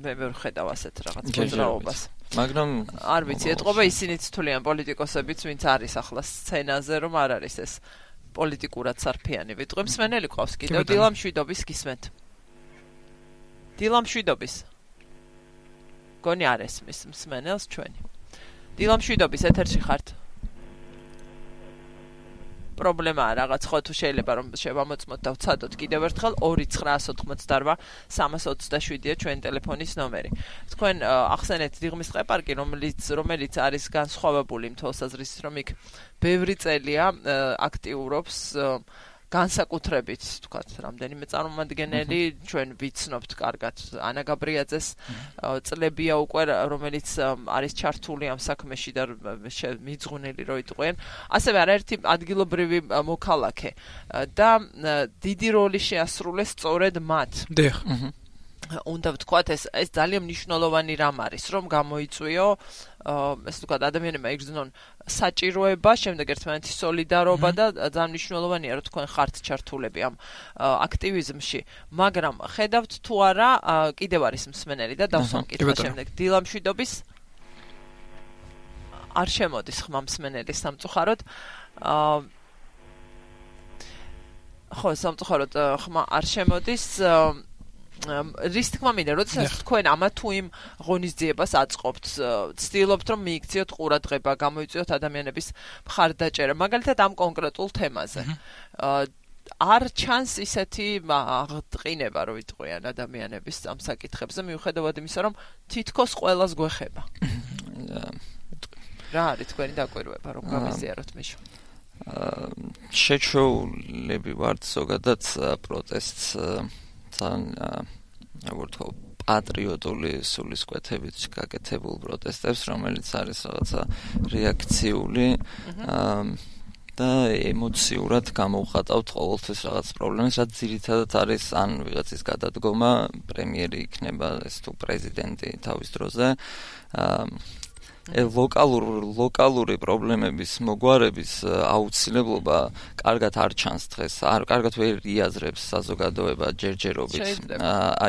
მე ვერ ხედავ ასეთ რაღაც მოძრაობას. მაგრამ არ ვიცი, ეთყობა ისინიც თვლიან პოლიტიკოსებიც, ვინც არის ახლა სცენაზე, რომ არ არის ეს პოლიტიკურად სარფიანი ვიტყვი. მსმენელი ყავს კიდევ დილამ შვიდობის გისმენთ. დილამ შვიდობის. გონი არ ესმის მსმენელს ჩვენი. დილამ შვიდობის ეთერში ხართ. პრობლემაა რაღაც ხო თუ შეიძლება რომ შევამოწმოთ და ვცადოთ კიდევ ერთხელ 2988 327-ია ჩვენი ტელეფონის ნომერი. თქვენ ახსენეთ დიღმის ყეპარკი, რომელიც არის განსხვავებული თვალსაზრისით, რომ იქ ბევრი წელია აქტიურობს განსაკუთრებით, თქვათ, რამდენიმე წარმომადგენელი ჩვენ ვიცნობთ კარგად ანა გაბრიაძეს წლებია უკვე, რომელიც არის ჩართული ამ საქმეში და მიძღვნილი რო იტყვიან. ასევე არაერთი ადგილობრივი მოქალაქე და დიდი როლი შეასრულეს სწორედ მათ. დიახ. უნდა ვთქვათ, ეს ძალიან მნიშვნელოვანი რამ არის, რომ გამოიწვიო ეს თქვათ ადამიანებმა იგრძნონ საჭიროება, შემდეგ ერთმანეთის სოლიდარობა და ძალიან მნიშვნელოვანია, რომ თქვენ ხართ ჩართულები ამ აქტივიზმში, მაგრამ ხედავთ თუ არა, კიდევ არის მსმენელი და დავსვამ კითხვა შემდეგ. დილამ შვიდობის არ შემოდის ხმა მსმენელი სამწუხაროდ. ხო, სამწუხაროდ ხმა არ შემოდის. რის თქმა მინდა, როდესაც თქვენ ამა თუ იმ ღონისძიებას აწყობთ, ცდილობთ რომ მიიქციოთ ყურადღება, გამოიწვიოთ ადამიანების მხარდაჭერა, მაგალითად ამ კონკრეტულ თემაზე. არ ჩანს ისეთი აღტყინება, რომ იტყვიან ადამიანების ამ საკითხებზე, მიუხედავად იმისა, რომ თითქოს ყველას გვეხება. რა არის თქვენი დაკვირვება, რომ გამიზიაროთ მიშო? შეჩოულები ვართ ზოგადად პროტესტს როგორც პატრიოტული სულისკვეთებით გაკეთებულ პროტესტებს, რომელიც არის რაღაცა რეაქციული და ემოციურად გამოვხატავთ ყოველთვის რაღაც პრობლემას, რაც ძირითადად არის ან ვიღაცის გადადგომა, პრემიერი იქნება ეს თუ პრეზიდენტი თავის დროზე. ლოკალური პრობლემების მოგვარების აუცილებლობა კარგად არ ჩანს დღეს, კარგად ვერ იაზრებს საზოგადოება ჯერჯერობით.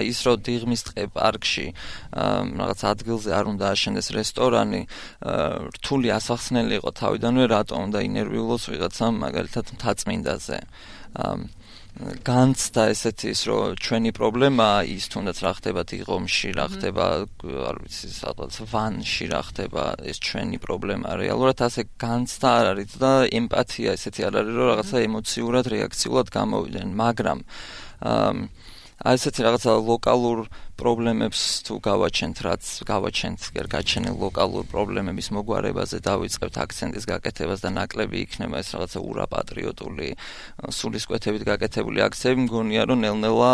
ის რომ დიღმის ტყე-პარკში რაღაც ადგილზე არ უნდა აშენდეს რესტორანი, რთული ასახსნელი იყო თავიდანვე, რატომ უნდა ინერვიულოს ვიღაცამ მაგალითად მთაწმინდაზე. განცდა ესეთი ის რომ ჩვენი პრობლემაა ის თუნდაც რა ხდება დიღომში, რა ხდება არ ვიცი სადღაც ვანში, რა ხდება ეს ჩვენი პრობლემაა. რეალურად ასე განცდა არ არის და ემპათია ესეთი არ არის რომ რაღაცა ემოციურად, რეაქციულად გამოვიდნენ, მაგრამ აი ესეთი რაღაცა ლოკალურ პრობლემებს თუ გავაჩენთ, რაც გავაჩენთ გაჩენილ ლოკალურ პრობლემების მოგვარებაზე დავიწყებთ აქცენტის გაკეთებას და ნაკლები იქნება ეს რაღაცა ურაპატრიოტული სულისკვეთებით გაკეთებული აქციები, მგონია რომ ნელ-ნელა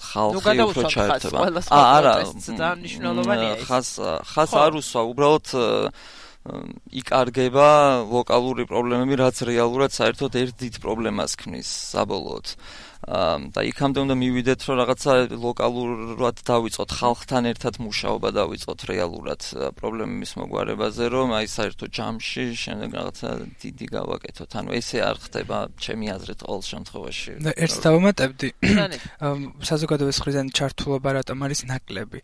ხალხი უფრო ჩაერთება. არა, ძალიან მნიშვნელოვანია ეს. ხას არ უსვა, უბრალოდ იკარგება ლოკალური პრობლემები, რაც რეალურად საერთოდ ერთ დიდ პრობლემას ქმნის საბოლოოდ. და იქამდე უნდა მივიდეთ, რომ რაღაცა ლოკალურად დავიწყოთ, ხალხთან ერთად მუშაობა დავიწყოთ რეალურად პრობლემების მოგვარებაზე, რომ აი საერთოდ ჯამში შემდეგ რაღაცა დიდი გავაკეთოთ. ანუ ესე არ ხდება, ჩემი აზრით ყოველ შემთხვევაში. და ერთს დავამატებდი. საზოგადოების მხრიდან ჩართულობა რატომ არის ნაკლები.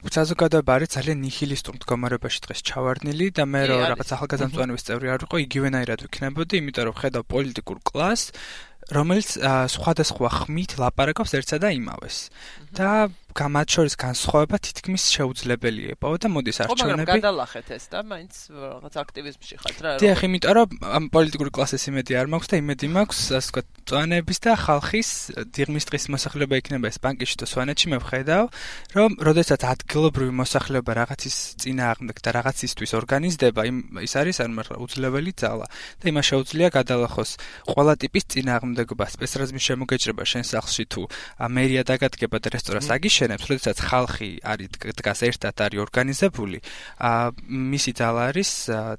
საზოგადოება არის ძალიან ნიჰილისტურ მდგომარეობაში დღეს ჩავარდნილი და მე რომ რაღაც ახალგაზრდამწვანების წევრი არ ვიყო, იგივენაირად ვიქნებოდი, იმიტომ რომ ხედავ პოლიტიკურ კლასს, რომელიც სხვადასხვა ხმით ლაპარაკობს ერთსა და იმავეს. და მათ შორის განსხვავება თითქმის შეუძლებელია. და მოდის არჩევნები. მაგრამ გადალახეთ ეს და მაინც რაღაც აქტივიზმში ხართ რა. დიახ, იმიტომ რომ ამ პოლიტიკური კლასის იმედი არ მაქვს და იმედი მაქვს, ასე ვთქვათ, მწვანეების და ხალხის დიღმის დღის მოსახლეობა იქნება ეს ბანკში და სვანეთში მე ვხედავ, რომ როდესაც ადგილობრივი მოსახლეობა რაღაცის წინააღმდეგ და რაღაცისთვის ორგანიზდება, ის არის არამარტო უძლეველი ძალა და იმას შეუძლია გადალახოს ყველა ტიპის წინააღმდეგობა, სპეცრაზმის შემოგეჭრება შენ სახლში თუ მერია დაგადგება და რესტორანს აგიშენებს, როდესაც ხალხი არის დგას ერთად არის ორგანიზებული, მისი ძალა არის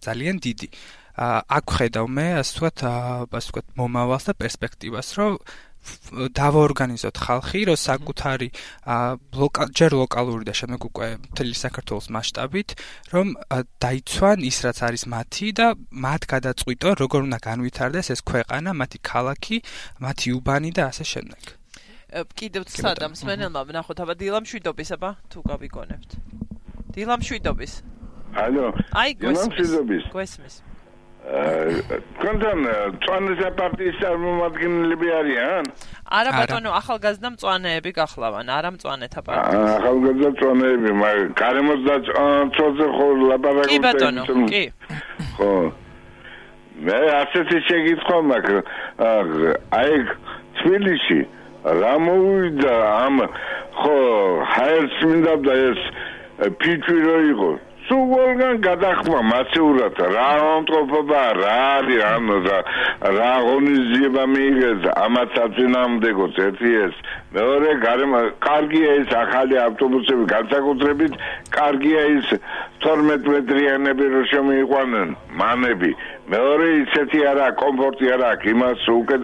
ძალიან დიდი. აქ ხედავ მე ასე ვთქვათ მომავალს და პერსპექტივას, რომ დავაორგანიზოთ ხალხი, რომ საკუთარი ჯერ ლოკალური და შემდეგ უკვე მთელი საქართველოს მასშტაბით, რომ დაიცვან ის რაც არის მათი და მათ გადაწყვიტონ, როგორ უნდა განვითარდეს ეს ქვეყანა, მათი ქალაქი, მათი უბანი და ასე შემდეგ. კიდევ სადამ მსმენელმა ვნახოთ აბა დილამ შვიდობის აბა თუ გავიგონებთ. დილამშვიდობის. ალო. აი, დილამშვიდობის. გვესმის. კონთან წვანის პარტიის წარმომადგენლები არიან? არა ბატონო, ახალგაზრდა მწვანეები გახლავან, არა მწვანეთა პარტიის. ახალგაზრდა მწვანეები, მაგრამ გარემოს და წოზე ხო ლაპარაკობთ. კი ბატონო, კი. ხო. მე ასეთი შეკითხვა მაქვს. აი თბილისში რა მოვიდა ამ ხო ჰაერს მინდა და ეს ფიჭვი რო იყო. სულგან გადახმა მასიურად რა ამტყოფობა რა არის ანუ რა ღონისძიება მიიღეს ამათ საწინააღმდეგოც ერთი ეს მეორე კარგია ეს ახალი ავტობუსები განსაკუთრებით კარგია ის 12 მეტრიანები რო შემოიყვანენ მანები მეორე ისეთი არა კომფორტი არა აქვს იმას უკეთ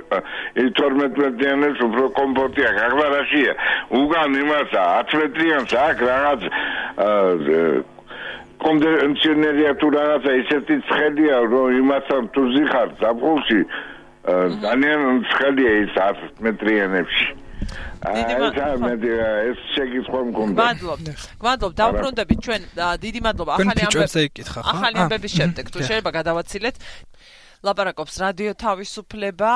12 მეტრიანებს უფრო კომფორტი აქვს ახლა რაშია უკან იმას 10 მეტრიანს აქვს რაღაც კონდიციონერია თუ რაღაცა ისეთი ცხელია რომ იმასთან თუ ზიხარ ზაფხულში ძალიან ცხელია ის 10 მეტრიანებში ეს შეგიცხვა მქონდა გვადლობ დავბრუნდებით ჩვენ დიდი მადლობა ახალი ამბების შემდეგ თუ შეიძლება გადავაცილეთ ლაპარაკობს რადიო თავისუფლება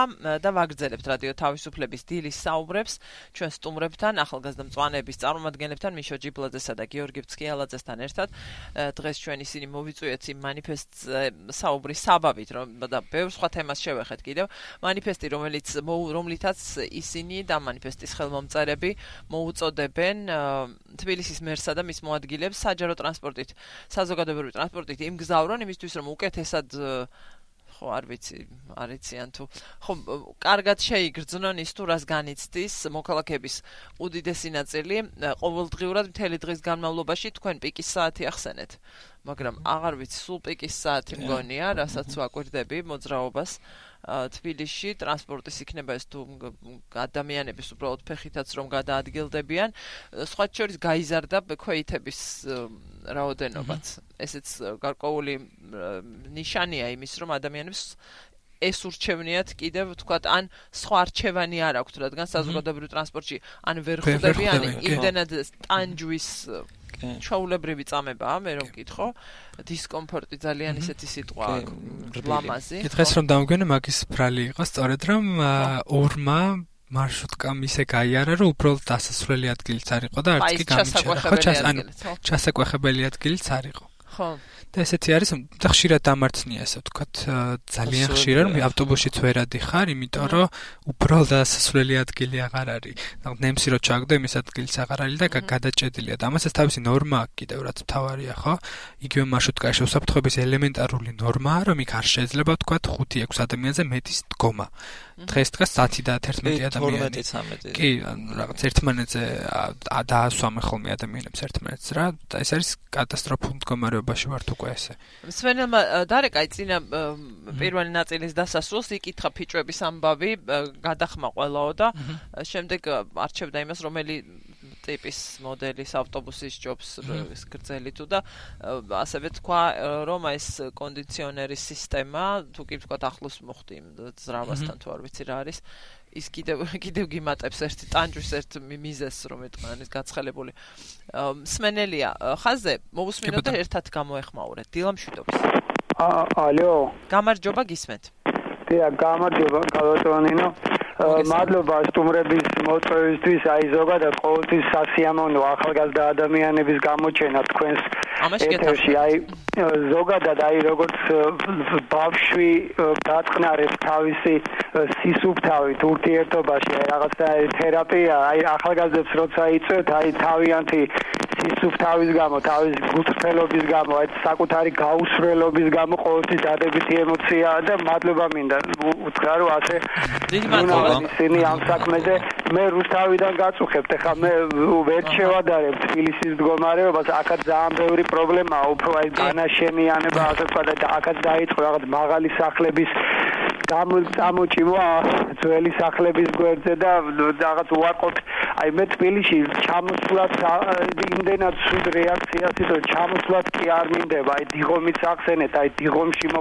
და ვაგრძელებთ რადიო თავისუფლების დილის საუბრებს ჩვენ სტუმრებთან ახალგაზრდა მწვანეების წარმომადგენლებთან მიშო ჯიბლაძესა და გიორგი ფცქიალაძესთან ერთად დღეს ჩვენ ისინი მოვიწვიეთ იმ მანიფესტზე საუბრის საბაბით რომ და ბევრ სხვა თემას შევეხეთ კიდევ მანიფესტი რომლითაც ისინი და მანიფესტის ხელმომწერები მოუწოდებენ თბილისის მერსა და მის მოადგილეებს საჯარო ტრანსპორტით საზოგადოებრივი ტრანსპორტით იმგზავრონ იმისთვის რომ უკეთესად ხო არ ვიცი არიციან თუ ხო კარგად შეიგრძნონ ის თუ რას განიცდის მოქალაქეების უდიდესი ნაწილი ყოველდღიურად მთელი დღის განმავლობაში თქვენ პიკის საათი ახსენეთ მაგრამ აღარ ვიცი სულ პიკის საათი მგონია რასაც ვაკვირდები მოძრაობას თბილისში ტრანსპორტის იქნება ეს თუ ადამიანების უბრალოდ ფეხითაც რომ გადაადგილდებიან სხვა შორის გაიზარდა ქვეითების რაოდენობაც ესეც გარკვეული ნიშანია იმის რომ ადამიანებს ეს ურჩევნიათ კიდევ თქვათ ან სხვა არჩევანი არ აქვთ რადგან საზოგადოებრივ ტრანსპორტში ან ვერ ხვდებიან იმდენად ტანჯვის ჩაულებრივი წამებაა მე რომ გითხო დისკომფორტი ძალიან ისეთი სიტყვა ლამაზი დღეს რომ დავგენე მაგის ბრალი იყო სწორედ რომ ორმა მარშრუტკამ ისე გაიარა რომ უბრალოდ დასასვლელი ადგილიც არ იყო და არც კი გამიჩნდა ჩასაკვეხებელი ადგილიც არ იყო ხო და ესეთი არის და ხშირად დამარცხნია ესე ვთქვათ ძალიან ხშირად რომ ავტობუსშიც ვერ ადიხარ იმიტომ რომ უბრალოდ დასასვლელი ადგილი აღარ არის და ნემსი რო ჩაგდო იმის ადგილიც აღარ არის და გადაჭედილია და ამასაც თავისი ნორმა აქვს კიდევ რაც მთავარია ხო იგივე მარშრუტკაში უსაფრთხოების ელემენტარული ნორმაა რომ იქ არ შეიძლება ვთქვათ 5-6 ადამიანზე მეტის დგომა დღეს 10 და 11 ადამიანი კი რაღაც ერთმანეთზე დაასვამე ხოლმე ადამიანებს ერთმანეთს რა და ეს არის კატასტროფულ მდგომარეობაში ვართ უკვე ესე სვენელმა დარეკა წინა პირველი ნაწილის დასასრულს იკითხა ფიჭვების ამბავი გადახმა ყველაო და შემდეგ არჩევდა იმას რომელი ტიპის მოდელის ავტობუსის ჯობს ეს გრძელი თუ და ასევე თქვა რომ ეს კონდიციონერის სისტემა თუ კი ვთქვათ ახლოს მოხდი ზრავასთან თუ არ ვიცი რა არის ის კიდევ გიმატებს ერთი ტანჯვის ერთ მიზეს რომ ეთქვან ის გაცხელებული სმენელია ხაზე მოვუსმინოთ და ერთად გამოეხმაურეთ დილამშვიდობის ალო გამარჯობა გისმენთ დიახ გამარჯობა გალატონინო მადლობა სტუმრების მოწვევისთვის აი ზოგადად ყოველთვის სასიამოვნო ახალგაზრდა ადამიანების გამოჩენა თქვენს ეთერში აი ზოგადად აი როგორც ბავშვი დაწყნარებს თავისი სისუფთავით ურთიერთობაში აი რაღაცა თერაპია აი ახალგაზრდებს როცა იწევთ აი თავიანთი სისუფთავის გამო თავის გულწრფელობის გამო აი საკუთარი გაუსვლელობის გამო ყოველთვის დადებითი ემოციაა და მადლობა მინდა უთხრა რომ ასე დიდი მადლობა ისინი ამ საქმეზე მე რუსთავიდან გაწუხებთ ეხლა მე ვერ შევადარებ თბილისის მდგომარეობას აქაც ძალიან ბევრი პრობლემაა უფრო აი განაშენიანება ასე ვთქვა და აქაც დაიწყო რაღაც მაღალი სახლების გამოჭიმვა ძველი სახლების გვერდზე და რაღაც უარყოფით აი მე თბილისში ჩამოსვლად იმდენად სულ რეაქციას იწვევ ჩამოსვლად კი არ მინდება აი დიღომის ახსენეთ აი დიღომში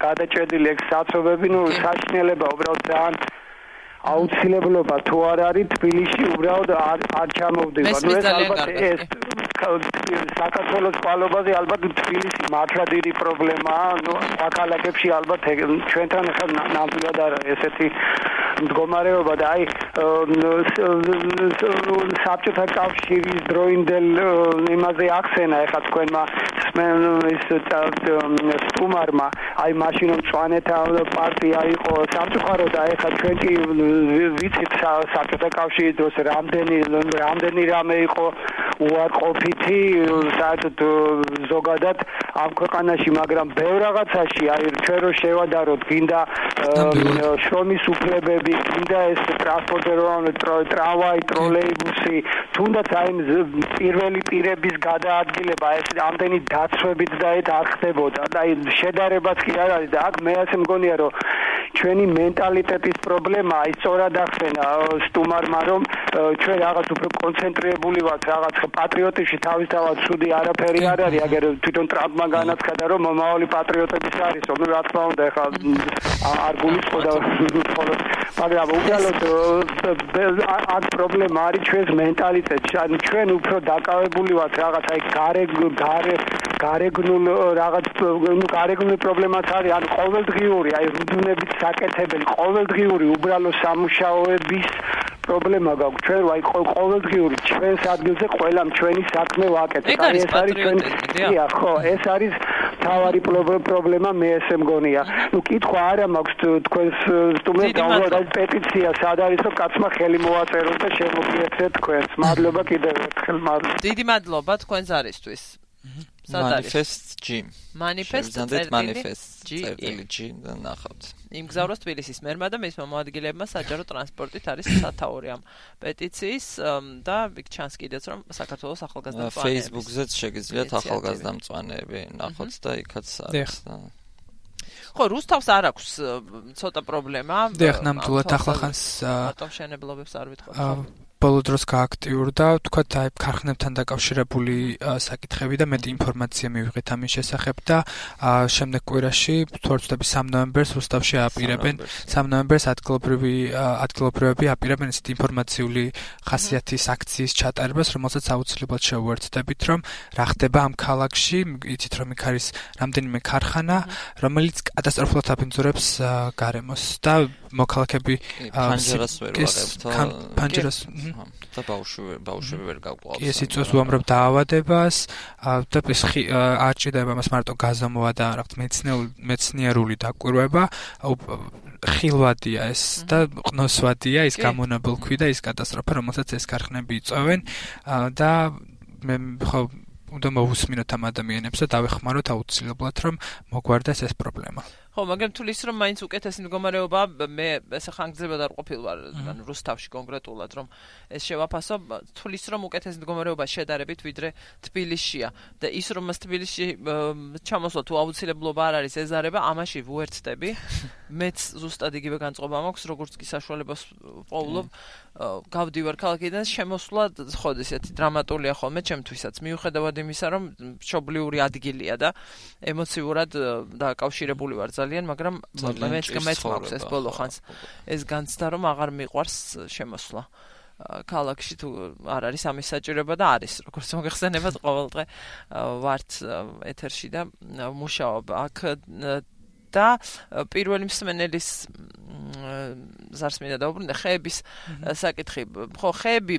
გადაჭედილი ეგ საცობები ნუ საშინელება უბრალოდ ძალიან აუცილებლობა თუ არ არის თბილისში უბრალოდ არ ჩამოვდება ნუ ეს ალბათ საქართველოს წყალობაზე ალბათ თბილისი მართლა დიდი პრობლემაა. ქალაქებში ალბათ ჩვენთან ახლა ნამდვილად არა ესეთი მდგომარეობა და აი საბჭოთა კავშირის დროინდელ იმაზე ახსენა ახლა თქვენმა სტუმარმა აი მაშინ მწვანეთა პარტია იყო სამწუხაროდ და ახლა ჩვენ კი ვიცით საბჭოთა კავშირის დროს რამდენი რამე იყო უარყოფითი საერთოდ ზოგადად ამ ქვეყანაში, მაგრამ ბევრ რაღაცაში აი ჩვენ რო შევადაროთ, გინდა შრომის უფლებები, გინდა ეს ტრანსპორტირებული ტრამვაი, ტროლეიბუსი, თუნდაც აი პირველი პირების გადაადგილება, ეს ამდენი დაცვებით და ეს არ ხდებოდა. და აი შედარებაც კი არ არის და აქ მე ასე მგონია, რომ ჩვენი მენტალიტეტის პრობლემა აი სწორად ახსენა სტუმარმა, რომ ჩვენ რაღაც უფრო კონცენტრირებული ვართ რაღაც პატრიოტებში თავისთავად ცუდი არაფერი არ არის, აგერ თვითონ ტრამპმა განაცხადა, რომ მომავალი პატრიოტების არის, რომ რა თქმა უნდა ეხლა არ გულისხმობდა მხოლოდ, მაგრამ უბრალოდ ამ პრობლემა არის ჩვენს მენტალიტეტში, ანუ ჩვენ უფრო დაკავებული ვართ რაღაც აი გარეგნულ რაღაც გარეგნული პრობლემაც არის, ანუ ყოველდღიური აი რუდუნებით საკეთებელი ყოველდღიური უბრალო სამუშაოების პრობლემა გაქვს ჩვენ აი ყოველდღიური ჩვენს ადგილზე ყველამ ჩვენი საქმე ვაკეთებთ. აი ეს არის ჩვენი ხო, ეს არის თავარი პრობლემა მე ესე მგონია. ნუ კითხვა არა მაქვს თქვენს სტუმრებს გამოვიდა პეტიცია სად არის რომ კაცმა ხელი მოვაწეროს და შემოგიერთეთ თქვენს. მადლობა კიდევ ერთხელ. დიდი მადლობა თქვენს არისთვის. Manifest G. Manifest G და ნახავთ. იმგზავროს თბილისის მერმა და მის მომაადგილებმა საჯარო ტრანსპორტით არის სათაური ამ პეტიციის და იქ ჩანს კიდეც რომ საქართველოს ახალგაზრდა მწვანეები. Facebook-ზეც შეგიძლიათ ახალგაზრდა მწვანეები ნახოთ და იქაც არის. ხო, რუსთავს არ აქვს ცოტა პრობლემა. დიახ, ნამდვილად ახლახანს ატომშენებლობებს არ ვიტყვით. ბოლო დროს გააქტიურდა, თქვათ, აი ქარხნებთან დაკავშირებული საკითხები და მეტი ინფორმაცია მივიღეთ ამის შესახებ და შემდეგ კვირაში, თუ არ ვცდები 3 ნოემბერს რუსთავში აპირებენ, 3 ნოემბერს ადგილობრივები აპირებენ ესეთი ინფორმაციული ხასიათის აქციის ჩატარებას, რომელსაც აუცილებლად შევუერთდებით, რომ რა ხდება ამ ქალაქში, იცით რომ იქ არის რამდენიმე ქარხანა, რომელიც კატასტროფულად აბინძურებს გარემოს და მოქალაქეები პანჯერას და ბავშვები ვერ გაყვავს. ეს იწვევს უამრავ დაავადებას და ეს არ ჭირდება მას მარტო გაზომვა და რაღაც მეცნიერული დაკვირვება, ხილვადია ეს და ყნოსვადია ის გამონაბოლქვი და ის კატასტროფა, რომელსაც ეს ქარხნები იწვევენ და მე ხო უნდა მოვუსმინოთ ამ ადამიანებს და დავეხმაროთ აუცილებლად რომ მოგვარდეს ეს პრობლემა. ხო, მაგრამ თulis რომ მაინც უკეთესი მდგომარეობა მე ესე ხანგრძლივად არ ყოფილ ვარ, ანუ რუსთავში კონკრეტულად რომ ეს შევაფასო, თulis რომ უკეთესი მდგომარეობა შედარებით ვიდრე თბილისშია და ის რომ მას თბილისში ჩამოსვლა თუ აუცილებლობა არ არის ეზარება, ამაში ვუერთდები. მეც ზუსტად იგივე განწყობა მაქვს, როგორც კი საშუალებას პოულობ, გავდივარ ქალაქიდან, შემოსვლა ხო ესეთი დრამატულია ხოლმე ჩემთვისაც, მიუხედავად იმისა, რომ მშობლიური ადგილია და ემოციურად დაკავშირებული ვარ ძალიან, მაგრამ მეც მაქვს ეს ბოლო ხანს ეს განცდა რომ აღარ მიყვარს შემოსვლა ქალაქში თუ არ არის ამის საჭიროება და არის როგორც მოგეხსენებათ ყოველდღე ვართ ეთერში და მუშაობ აქ და პირველი მსმენელის ზარს მინდა დაუბრუნდე ხეების საკითხი ხო ხეები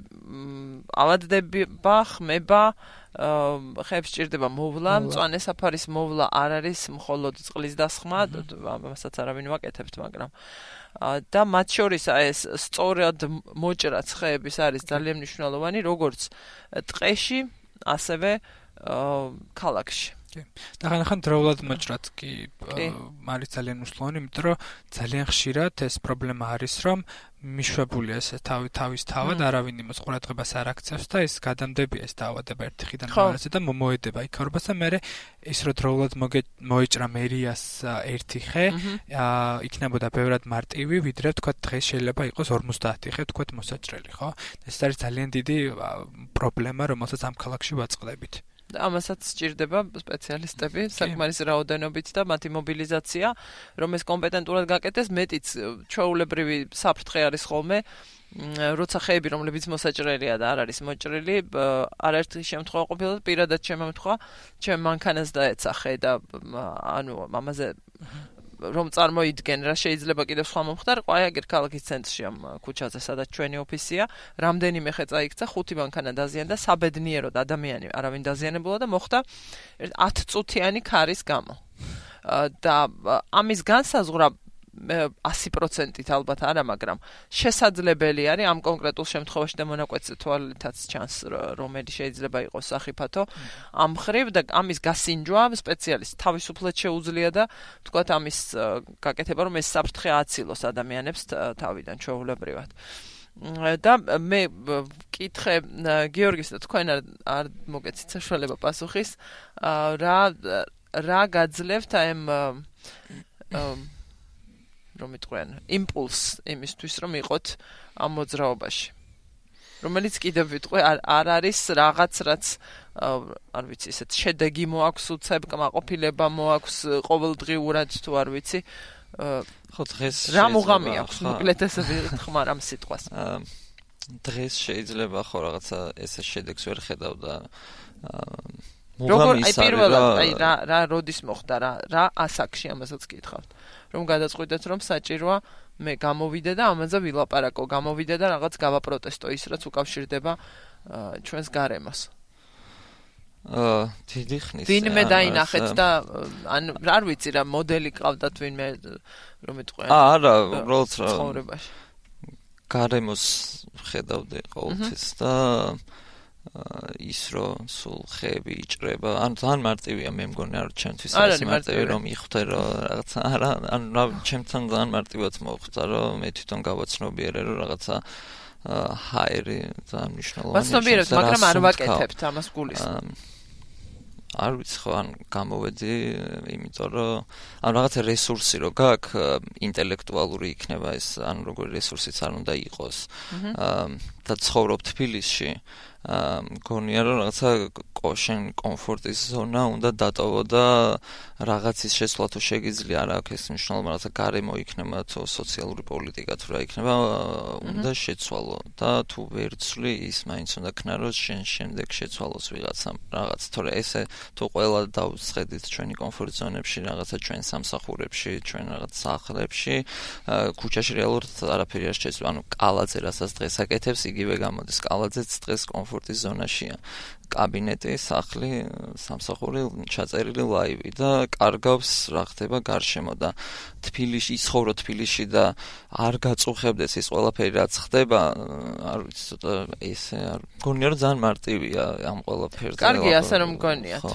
ავადდება ხმება ხეებს ჭირდება მოვლა მწვანე საფარის მოვლა არ არის მხოლოდ წყლის დასხმა ამასაც არავინ ვაკეთებთ მაგრამ და მათ შორის ეს სწორად მოჭრა ხეების არის ძალიან მნიშვნელოვანი როგორც ტყეში ასევე ქალაქში და ხან დროულად მოჭრაც კი არის ძალიან მნიშვნელოვანი, იმიტომ რომ ძალიან ხშირად ეს პრობლემა არის, რომ მიშვებულია ეს თავის თავად არავინ იმას ყურადღებას არ აქცევს და ეს გადამდებია ეს დაავადება ერთი ხიდან მეორეზე და მოედება იქაურობას და მე ის რო დროულად მოეჭრა მერიას ერთი ხე იქნებოდა ბევრად მარტივი ვიდრე თქვა დღეს შეიძლება იყოს 50 ხე თქვა მოსაჭრელი ხო ეს არის ძალიან დიდი პრობლემა რომელსაც ამ ქალაქში ვაწყდებით ამასაც სჭირდება სპეციალისტები, საკმარისი რაოდენობით და მათი მობილიზაცია, რომ ეს კომპეტენტურად გაკეთდეს, მეტიც ჩვეულებრივი საფრთხე არის ხოლმე, როცა ხეები, რომლებიც მოსაჭრელია და არ არის მოჭრილი, არაერთი შემთხვევა ყოფილა და პირადად შემომთქვა, ჩემ მანქანას დაეცახე და ანუ ამაზე რომ წარმოიდგენ რა შეიძლება კიდევ სხვა მომხდარიყო, აი აგერ ქალაქის ცენტრში ამ ქუჩაზე, სადაც ჩვენი ოფისია, რამდენიმე ხე წაიქცა, 5 მანქანა დაზიანდა, საბედნიეროდ ადამიანი არავინ დაზიანებულა და მოხდა 10 წუთიანი ქარის გამო. და ამის განსაზღვრა 100%-ით ალბათ არა, მაგრამ შესაძლებელი არის ამ კონკრეტულ შემთხვევაში და მონაკვეთზე თვალითაც ჩანს, რომელი შეიძლება იყოს სახიფათო ამ ხრივ და ამის გასინჯვა სპეციალისტ თავისუფლად შეუძლია და თქვათ ამის გაკეთება, რომ ეს საფრთხე აცილოს ადამიანებს თავიდან ჩვეულებრივად. და მე ვკითხე გიორგის და თქვენ არ მოგეცით საშუალება პასუხის, რა გაძლევთ ამ რომ იტყვიან იმპულს იმისთვის რომ იყოთ ამ მოძრაობაში რომელიც კიდევ ვიტყვი არ არის რაღაც რაც არ ვიცი ესეთ შედეგი მოაქვს უცებ კმაყოფილება მოაქვს ყოველდღიურად თუ არ ვიცი ხო დღეს რა მუღამი აქვს მოკლედ ესე ვიხმარ ამ სიტყვას დღეს შეიძლება ხო რაღაცა ესე შედეგს ვერ ხედავ და როგორ აი პირველად აი რა როდის მოხდა რა ასაკში ამასაც გითხავთ რომ გადაწყვიტეთ რომ საჭიროა მე გამოვიდე და ამაზე ვილაპარაკო გამოვიდე და რაღაც გავაპროტესტო ის რაც უკავშირდება ჩვენს გარემოს დიდი ხნის ვინმე დაინახეთ და ან არ ვიცი რა მოდელი ყავდათ ვინმე რომ იტყვიან არა უბრალოდ ცხოვრებაში გარემოს ხედავდი ყოველთვის და ის რომ სულ ხეები იჭრება ან ძალიან მარტივია მე მგონი არ ჩემთვის ეს მარტივი რომ იხვდე რომ რაღაცა არა ან ჩემთან ძალიან მარტივად მოხდა რომ მე თვითონ გავაცნობიერე რომ რაღაცა ჰაერი ძალიან მნიშვნელოვანია ვაცნობიერებთ მაგრამ არ ვაკეთებთ ამას გულისხმობ არ ვიცი ხო ან გამოვედი იმიტომ რომ ან რაღაცა რესურსი რო გაქვს ინტელექტუალური იქნება ეს ან როგორი რესურსიც არ უნდა იყოს და ცხოვრობ თბილისში მგონია რომ რაღაცა შენ კომფორტის ზონა უნდა დატოვო და რაღაცის შესვლა თუ შეგიძლია არ აქვს ეს მნიშვნელობა რაღაცა გარემო იქნება თუ სოციალური პოლიტიკა თუ რა იქნება უნდა შეცვალო და თუ ვერ ცვლი ის მაინც უნდა ქნაროს შენ შემდეგ შეცვალოს ვიღაცამ რაღაც თორე ესე თუ ყველა დავსხედით ჩვენი კომფორტ ზონებში რაღაცა ჩვენ სამსახურებში ჩვენ რაღაც სახლებში ქუჩაში რეალურად არაფერი არ შეცვლა ანუ კალაძე რასაც დღეს აკეთებს იგივე გამოდის კალაძეც დღეს კომფორტის ზონაშია კაბინეტი, სახლი, სამსახური, ჩაწერილი ლაივი და კარგავს რა ხდება გარშემო და თბილისში ისხოვრო თბილისში და არ გაწუხებდეს ის ყველაფერი რაც ხდება, არ ვიცი ცოტა ესე არ მგონია რომ ძალიან მარტივია ამ ყველაფერზე. კარგი ასე რომ მგონიათ.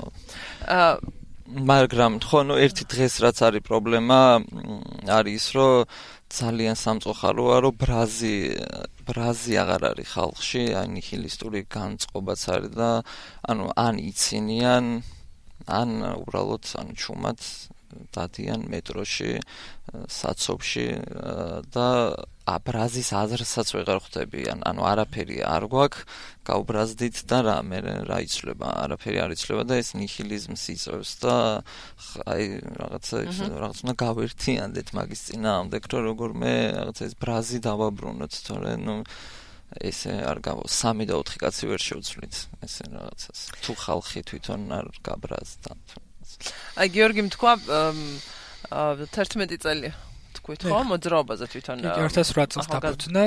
მაგრამ ხო ნუ ერთი დღეს რაც არის პრობლემა არის რომ ძალიან სამწუხაროა რომ ბრაზი აღარ არის ხალხში, აი ნიჰილისტური განწყობაც არის და ანუ ან იცინიან, ან უბრალოდ ან ჩუმად დადიან მეტროში, საცობში და ბრაზის აზრსაც ვეღარ ხვდებიან, ანუ არაფერი არ გვაქვს, გავბრაზდით და რა იცვლება, არაფერი არ იცვლება და ეს ნიჰილიზმს იწვევს და აი რაღაცა უნდა გავერთიანდეთ მაგის წინააღმდეგ, რომ როგორმე რაღაცა ეს ბრაზი დავაბრუნოთ, თორე ნუ ესე არ გავა 3 და 4 კაცი ვერ შევცვლით ესე რაღაცას. თუ ხალხი თვითონ არ გაბრაზდა. აი გიორგი თქვა 11 წელი თქვით ხო მოძრაობაზე თვითონ 2008 წელს დაფუძნა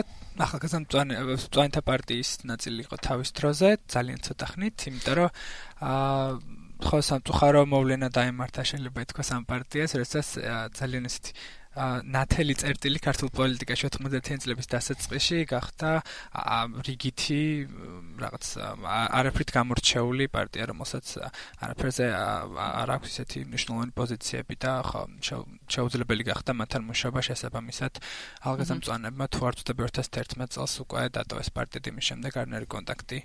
ახალგაზრდა პარტიის ნაწილი იყო თავის დროზე ძალიან ცოტა ხნით იმიტომ რომ ხო სამწუხარო მოვლენა დაემართა შეიძლება ითქვას ამ პარტიას როდესაც ძალიან ესეთი ნათელი წერტილი ქართულ პოლიტიკაში 90-იან წლების დასაწყისში გახდა რიგითი რაღაც არაფრით გამორჩეული პარტია, რომელსაც არაფერზე არ აქვს ისეთი მნიშვნელოვანი პოზიციები და ხო შეუძლებელი გახდა მათთან მუშაობა შესაბამისად ახალგაზრდა მწვანეებმა თუ არ ვწდები 2011 წელს უკვე დატოვეს პარტია იმის შემდეგ არანაირი კონტაქტი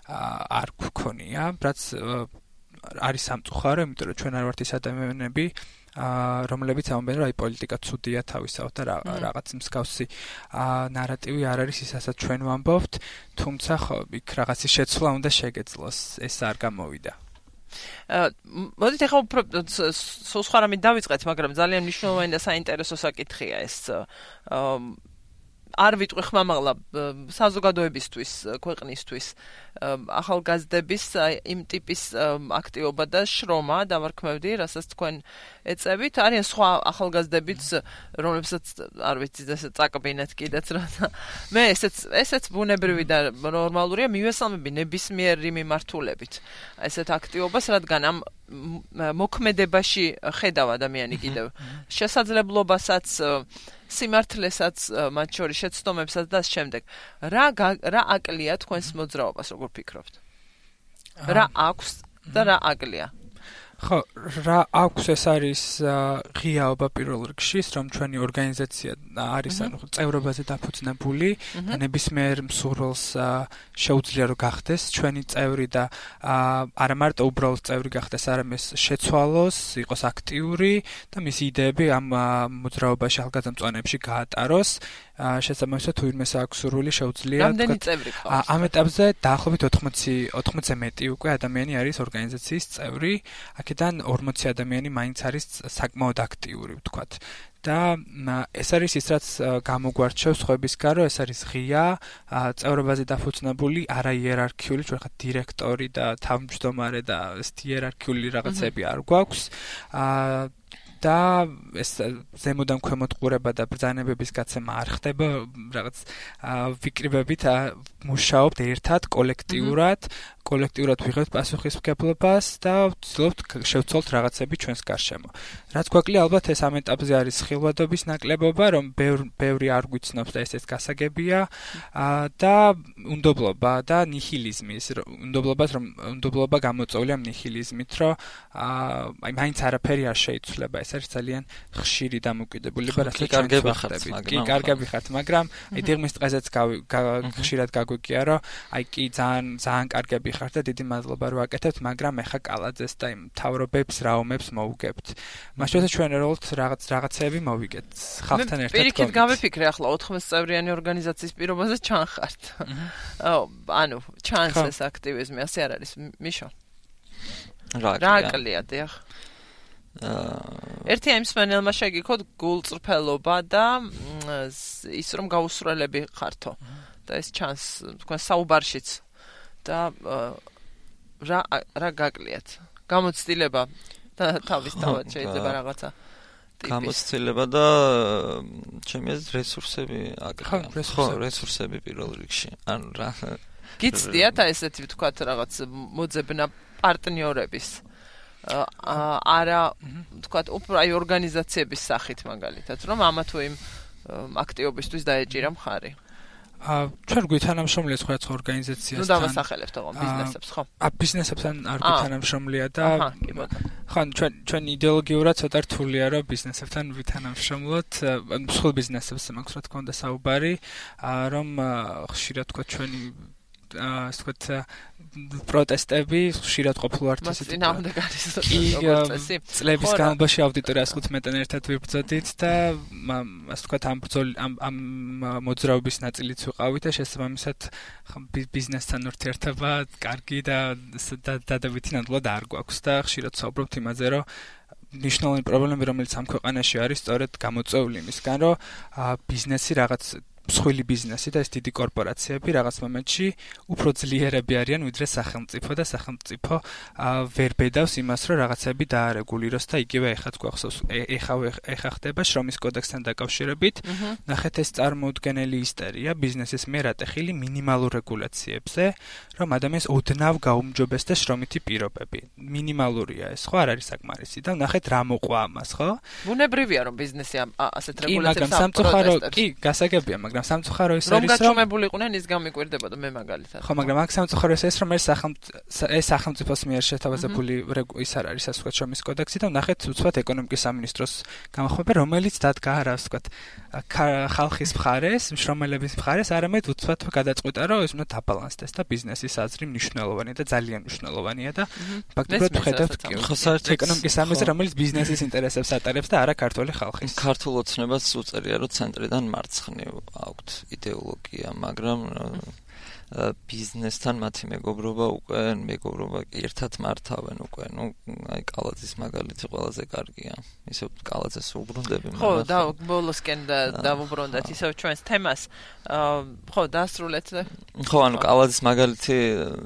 არ გქონია, რაც არის სამწუხარო, იმიტომ რომ ჩვენ არ ვართ ის ადამიანები რომლებიც ამბობენ რომ აი პოლიტიკა ცუდია თავისთავად და რაღაც მსგავსი ნარატივი არ არის ისაც ჩვენ ვამბობთ, თუმცა ხო იქ რაღაცის შეცვლა უნდა შეგეძლოს, ეს არ გამოვიდა. მოდით ახლა უფრო სულ სხვა რამით დავიწყეთ, მაგრამ ძალიან მნიშვნელოვანი და საინტერესო საკითხია ეს. არ ვიტყვი ხმამაღლა საზოგადოებისთვის, ქვეყნისთვის, ახალგაზრდების იმ ტიპის აქტივობა და შრომა დავარქმევდი, რასაც თქვენ ეწევით. არიან სხვა ახალგაზრდებიც, რომლებსაც არ ვიცი, ესე წაკბინეთ კიდეც რა. მე ესეც ბუნებრივი და ნორმალურია, მივესალმები ნებისმიერი მიმართულებით. ესეთ აქტივობას, რადგან ამ მოქმედებაში ხედავ ადამიანი კიდევ შესაძლებლობასაც, სიმართლესაც, მათ შორის შეცდომებსაც და შემდეგ. რა აკლია თქვენს მოძრაობას, როგორ ფიქრობთ? რა აქვს და რა აკლია? ხო, რა აქვს ეს არის ღიაობა პირველ რიგში, რომ ჩვენი ორგანიზაცია არის ანუ წევრობაზე დაფუძნებული და ნებისმიერ მსურველს შეუძლია რომ გახდეს ჩვენი წევრი და არა მარტო უბრალოდ წევრი გახდეს, არამედ შეცვალოს, იყოს აქტიური და მისი იდეები ამ მოძრაობაში ახალგაზრდამწვანეებში გაატაროს. შესაბამისად თუ ვინმეს აქვს სურვილი შეუძლია რამდენი წევრი ხავს? ამ ეტაპზე დაახლოებით 80-ზე მეტი უკვე ადამიანი არის ორგანიზაციის წევრი. აქედან 40 ადამიანი მაინც არის საკმაოდ აქტიური, ვთქვათ. და ეს არის ის, რაც გამოგვარჩევს სხვებისგან, რომ ეს არის ღია, წევრობაზე დაფუძნებული, არა იერარქიული, ჩვენ ხა დირექტორი და თავმჯდომარე და ეს იერარქიული რაღაცები არ გვაქვს. და ეს ზემოდან ქვემოთ ყურება და ბრძანებების გაცემა არ ხდება, რაღაც ვიკრიბებით მუშაობთ ერთად, კოლექტიურად ვიღებთ პასუხისმგებლობას და ვცდილობთ შევცვალოთ რაღაცები ჩვენს გარშემო. რაც გვაკლია ალბათ ეს ამ ეტაპზე არის ხილვადობის ნაკლებობა, რომ ბევრი არ გვიცნობს და ესეც გასაგებია და უნდობლობა და ნიჰილიზმის, უნდობლობა გამოწვეულია ნიჰილიზმით, რომ აი მაინც არაფერი არ შეიცვლება. ეს არის ძალიან ხშირი დამოკიდებულება, რასაც კარგები ხართ, მაგრამ აი დიღმის დღესაც ხშირად გაგვიგია, რომ აი კი ძალიან კარგები ხართ და დიდი მადლობა რომ აკეთებთ, მაგრამ ეხა კალაძეს და იმ მთავრობებს რაომებს მოუგებთ. მაშინ ჩვენ რაღაცეები მოვიგეთ ხალხთან ერთად. პირიქით გავიფიქრე ახლა 80 წევრიანი ორგანიზაციის პირობაზე ჩანხართ. ანუ ჩანს ეს აქტივიზმი, ასე არ არის, მიშო? რა აკლია, დიახ. ერთი ამ სპენელმა შეგიქოთ გულწრფელობა და ის რომ გაუსრელები ხართო და ეს ჩანს თქვენ საუბარშიც და რა გაკლიათ გამოცდილება და თავისთავად შეიძლება რაღაცა გამოცდილება და ჩემი აზრით რესურსები რესურსები პირველ რიგში ანუ რა გიცდიათ ესეთი ვთქვათ რაღაც მოძებნა პარტნიორების არა ვთქვათ უფრო აი ორგანიზაციების სახით მაგალითად რომ ამა თუ იმ აქტივობისთვის დაეჭირა მხარი ჩვენ გვითანამშრომლია სხვა ორგანიზაციასთან. ნუ დავასახელებთ ოღონდ ბიზნესებს, ხო? ბიზნესებთან არ გვითანამშრომლია და ხან ჩვენ იდეოლოგიურად ცოტა რთულია რომ ბიზნესებთან ვითანამშრომლოთ, სხვა ბიზნესებს მაქვს რა თქმა უნდა საუბარი, რომ ხშირად თქვა ჩვენი ასე ვთქვათ პროტესტები ხშირად ყოფილვართ ისეთი წინააღმდეგობის წლების განმავლობაში აუდიტორი 115-დან ერთად ვიბრძოდით და ასე ვთქვათ ამ მოძრაობის ნაწილიც ვიყავით და შესაბამისად ბიზნესთან ურთიერთობა კარგი და დადებითი ნამდვილად არ გვაქვს და ხშირად ვსაუბრობთ იმაზე რომ ნიშნულოვანი პრობლემები რომელიც ამ ქვეყანაში არის სწორედ გამოწვეული იმისგან რომ ბიზნესი რაღაც მსხვილი ბიზნესი და ეს დიდი კორპორაციები რაღაც მომენტში უფრო ძლიერები არიან ვიდრე სახელმწიფო და სახელმწიფო ვერ ბედავს იმას რომ რაღაცები დაარეგულიროს და იგივე ეხაც გვახსოვს ეხა ხდება შრომის კოდექსთან დაკავშირებით ნახეთ ეს წარმოუდგენელი ისტერია ბიზნესის მიერ ატეხილი მინიმალურ რეგულაციებზე რომ ადამიანს ოდნავ გაუმჯობესდეს შრომითი პირობები მინიმალურია ეს ხო არ არის საკმარისი და ნახეთ რა მოყვა ამას ხო ბუნებრივია რომ ბიზნესი ასეთ რეგულაციებს აპროტესტებს კი გასაგებია მაგრამ სამწუხარო ის არის რომ გაჩვენებულიყვნენ ის გამიკვირდებოდა მე მაგალითად ხო მაგრამ აქ სამწუხარო ის რომ ეს სახელმწიფოს მიერ შეთავაზებული ის არ არის ასე ვთქვათ შრომის კოდექსი და ნახეთ უცბად ეკონომიკის სამინისტროს გამოხმება რომელიც დადგა რა ასე ვთქვათ ხალხის მხარეს მშრომელების მხარეს არამედ უცბად გადაწყვიტა რომ ეს უნდა დაბალანსდეს და ბიზნესის აზრი მნიშვნელოვანია და ძალიან მნიშვნელოვანია და ფაქტობრივად ვხედავთ ეკონომიკის სამინისტრო რომელიც ბიზნესის ინტერესებს ატარებს და არა ქართული ხალხის ქართულ ოცნებას უწერია რომ ცენტრიდან მარცხნივ აქვთ იდეოლოგია, მაგრამ ბიზნესთან მათი მეგობრობა უკვე ერთად მართავენ უკვე. აი კალაძის მაგალითი ყველაზე კარგია. ისევ კალაძეს უბრუნდები. ხო, და ბოლოსკენ დავუბრუნდეთ ისევ ჩვენს თემას. ხო, დასრულეთ. ხო, ანუ კალაძის მაგალითი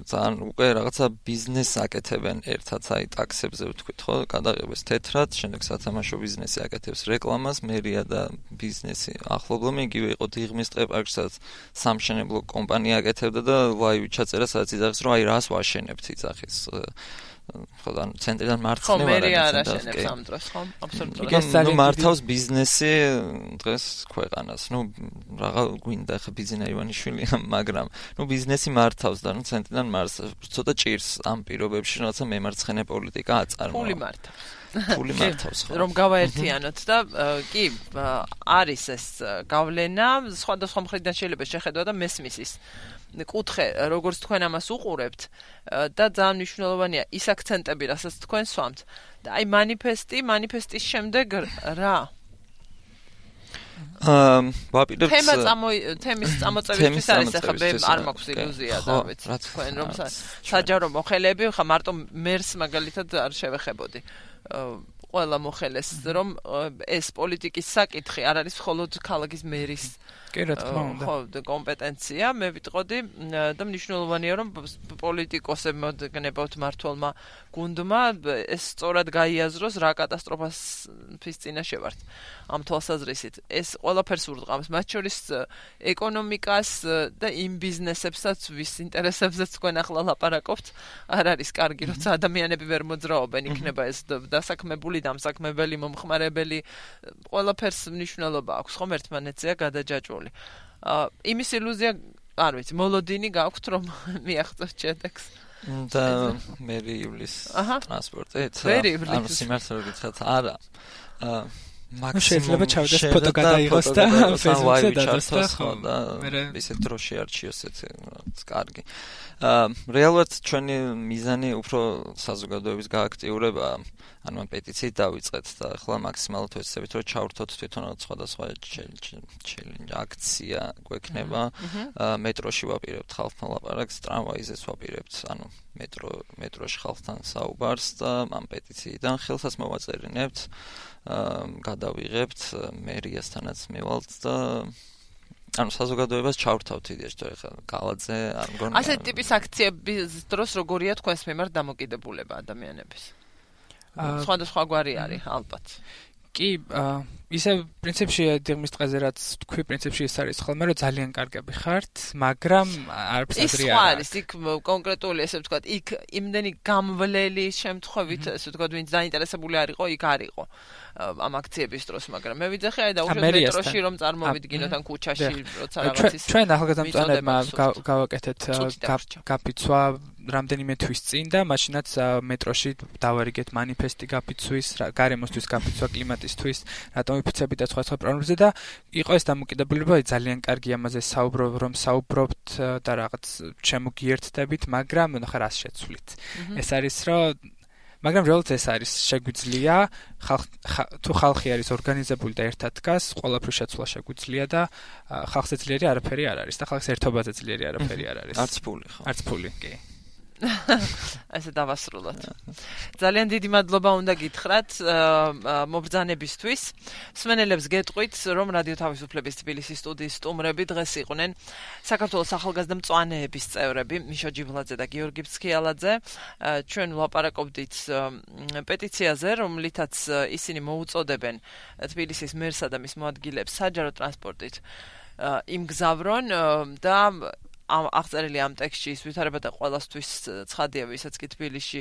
ძალიან უკვე რაღაცა ბიზნესს აკეთებენ ერთად, აი ტაქსებზე ვთქვით, ხო, გადაღებას თეთრად, შემდეგ სათამაშო ბიზნესი აკეთებს რეკლამას, მერია და ბიზნესი ახლობლობენ, იგივე იყო დიღმის ტყეპარკსაც სამშენებლო კომპანია აკეთებდა და ლაივი ჩაწერა, სადაც იძახის, რომ აი რას ვაშენებთ იძახის. ხო, ანუ ცენტრიდან მარცხნივ არა. ხო, მე არ აშენებს ამ დროს, ხო? აბსოლუტურად. ნუ მართავს ბიზნესი დღეს ქვეყანას. ნუ რაღა გვინდა ხა ბიზნა ივანიშვილი, მაგრამ ნუ ბიზნესი მართავს და ნუ ცენტრიდან ცოტა ჭირს ამ პირობებში, რაღაცა მემარცხენე პოლიტიკა აწარმოა. ფული მართავს. ფული მართავს, ხო. რომ გავაერთიანოთ და კი, არის ეს გავლენა, სხვადასხვა მხრიდან შეიძლება შეხედვა და მესმის ის კუთხე, როგორც თქვენ ამას უყურებთ და ძალიან მნიშვნელოვანია ის აქცენტები, რასაც თქვენ სვამთ. და აი მანიფესტის შემდეგ რა? ვაპირებთ თემის წამოწევის არის ახლა მე არ მაქვს ილუზია და ვიცი თქვენ რომ საჯარო მოხელეები ხა მარტო მერს მაგალითად არ შევეხებოდი. ყველა მოხელეს რომ ეს პოლიტიკის საკითხი არ არის მხოლოდ ქალაქის მერის კი რა თქმა უნდა. ხო, კომპეტენცია, მე ვიტყოდი და მნიშვნელოვანია რომ პოლიტიკოსებმა გნებავთ მართლმა გუნდმა ეს სწორად გაიაზროს რა კატასტროფის წინაშე ვართ. ამ თვალსაზრისით ეს ყველაფერს ურტყამს, მათ შორის ეკონომიკას და იმ ბიზნესებსაც, ვის ინტერესებზეც თქვენ ახლა ლაპარაკობთ, არ არის კარგი, როცა ადამიანები ვერ მოძრაობენ, იქნება ეს დასაქმებული, დამსაქმებელი, მომხმარებელი, ყველაფერს მნიშვნელობა აქვს, ხომ ერთმანეთზეა გადაჯაჭვული. იმის ილუზია, არ ვიცი, მოლოდინი გაქვთ რომ მიაღწევთ შედეგს. და მერი ივლის ტრანსპორტით. ანუ სიმართლე რომ გითხრათ, არა. შეიძლება ჩავდეს ფოტო გადაიღოს და Facebook-ზე დადასტოს და ისეთ დროში არჩიოს ეს კარგი. რეალურად ჩვენი მიზანი უფრო საზოგადოების გააქტიურებაა. ანუ პეტიციით დავიწყეთ და ახლა მაქსიმალურად ვეცდებით რომ ჩავრთოთ თვითონ სხვადასხვა challenge აქცია გვექნება. მეტროში ვაპირებთ ხალხთან ლაპარაკს, ტრამვაიზეც ვაპირებთ, ანუ მეტროში ხალხთან საუბარს და ამ პეტიციიდან ხელსაც მოვაწერინებთ. გადავიღებთ მერიასთანაც მევალთ და ანუ საზოგადოებას ჩავრთავთ იდეაში, თუ ეხლა კალაძე არ მგონია. ასეთი ტიპის აქციების დროს როგორია თქვენს მიმართ დამოკიდებულება ადამიანების? სხვადასხვა გვარი არის ალბათ. კი, ისე პრინციპში დიღმის ტყეზე რაც თქვი, პრინციპში ეს არის ხოლმე რომ ძალიან კარგები ხართ, მაგრამ არც ადრე არ არის. იქ კონკრეტული ესე ვთქვათ, იქ იმდენი გამვლელი შემთხვევით, ესე ვთქვათ, ვინც დაინტერესებული არისო, იქ არისო ამ აქციების დროს, მაგრამ მე ვიძახი აი დაუშვათ მეტროში რომ წარმოვიდგინოთ ან ქუჩაში, როცა რაღაცის ჩვენ ახალგაზრდებმა გავაკეთეთ გაფიცვა რამდენიმე თვის წინ და მაშინაც მეტროში დავარიგეთ მანიფესტი გაფიცვის, გარემოსთვის გაფიცვა, კლიმატისთვის, რატომ ვიფიცებით და სხვა პრობლემებზე და იყო ეს დამოკიდებულება, ძალიან კარგი ამაზე საუბრობთ და რაღაც შემოგიერთდებით, მაგრამ ნახე რას შეცვლით. ეს არის რომ მაგრამ რეალურად ეს არის შეგვიძლია თუ ხალხი არის ორგანიზებული და ერთად დგას, ყველაფრის შეცვლა შეგვიძლია და ხალხზე ძლიერი არაფერი არ არის და ხალხის ერთობაზე ძლიერი არაფერი არ არის. არც ფული ხო? არც ფული, კი. ასე დავასრულოთ. ძალიან დიდი მადლობა უნდა გითხრათ მობრძანებისთვის. მსმენელებს გეტყვით, რომ რადიო თავისუფლების თბილისის სტუდიის სტუმრები დღეს იყვნენ საქართველოს ახალგაზრდა მწვანეების წევრები მიშა ჯიბლაძე და გიორგი ფსქიალაძე. ჩვენ ვლაპარაკობდით პეტიციაზე, რომლითაც ისინი მოუწოდებენ თბილისის მერსა და მის მოადგილეებს საჯარო ტრანსპორტით იმგზავრონ და აღწერილი ამ ტექსტში ის ვითარებადა ყველასთვის ცხადია, ვისაც კი თბილისში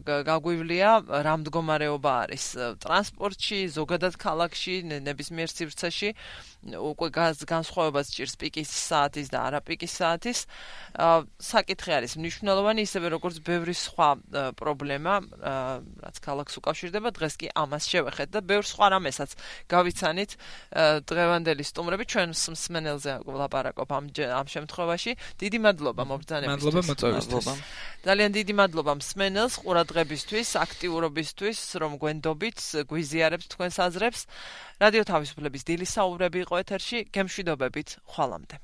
გაგვივლია, რა მდგომარეობა არის ტრანსპორტში, ზოგადად ქალაქში, ნებისმიერ სივრცეში, უკვე განსხვავებას ჭირს პიკის საათის და არა პიკის საათის. საკითხი არის მნიშვნელოვანი, ისევე როგორც ბევრი სხვა პრობლემა, რაც ქალაქს უკავშირდება, დღეს კი ამას შევეხეთ და ბევრ სხვა რამესაც გავიცანით დღევანდელი სტუმრები, ჩვენ მსმენელზე ვლაპარაკობ ამ შემთხვევაში. დიდი მადლობა მობრძანებისთვის. მადლობა მოწვევისთვის. ძალიან დიდი მადლობა მსმენელს ყურადღებისთვის, აქტიურობისთვის, რომ გვენდობით, გვიზიარებთ თქვენს აზრებს. რადიო თავისუფლების დილის საუბრები იყო ეთერში. გემშვიდობებით, ხვალამდე.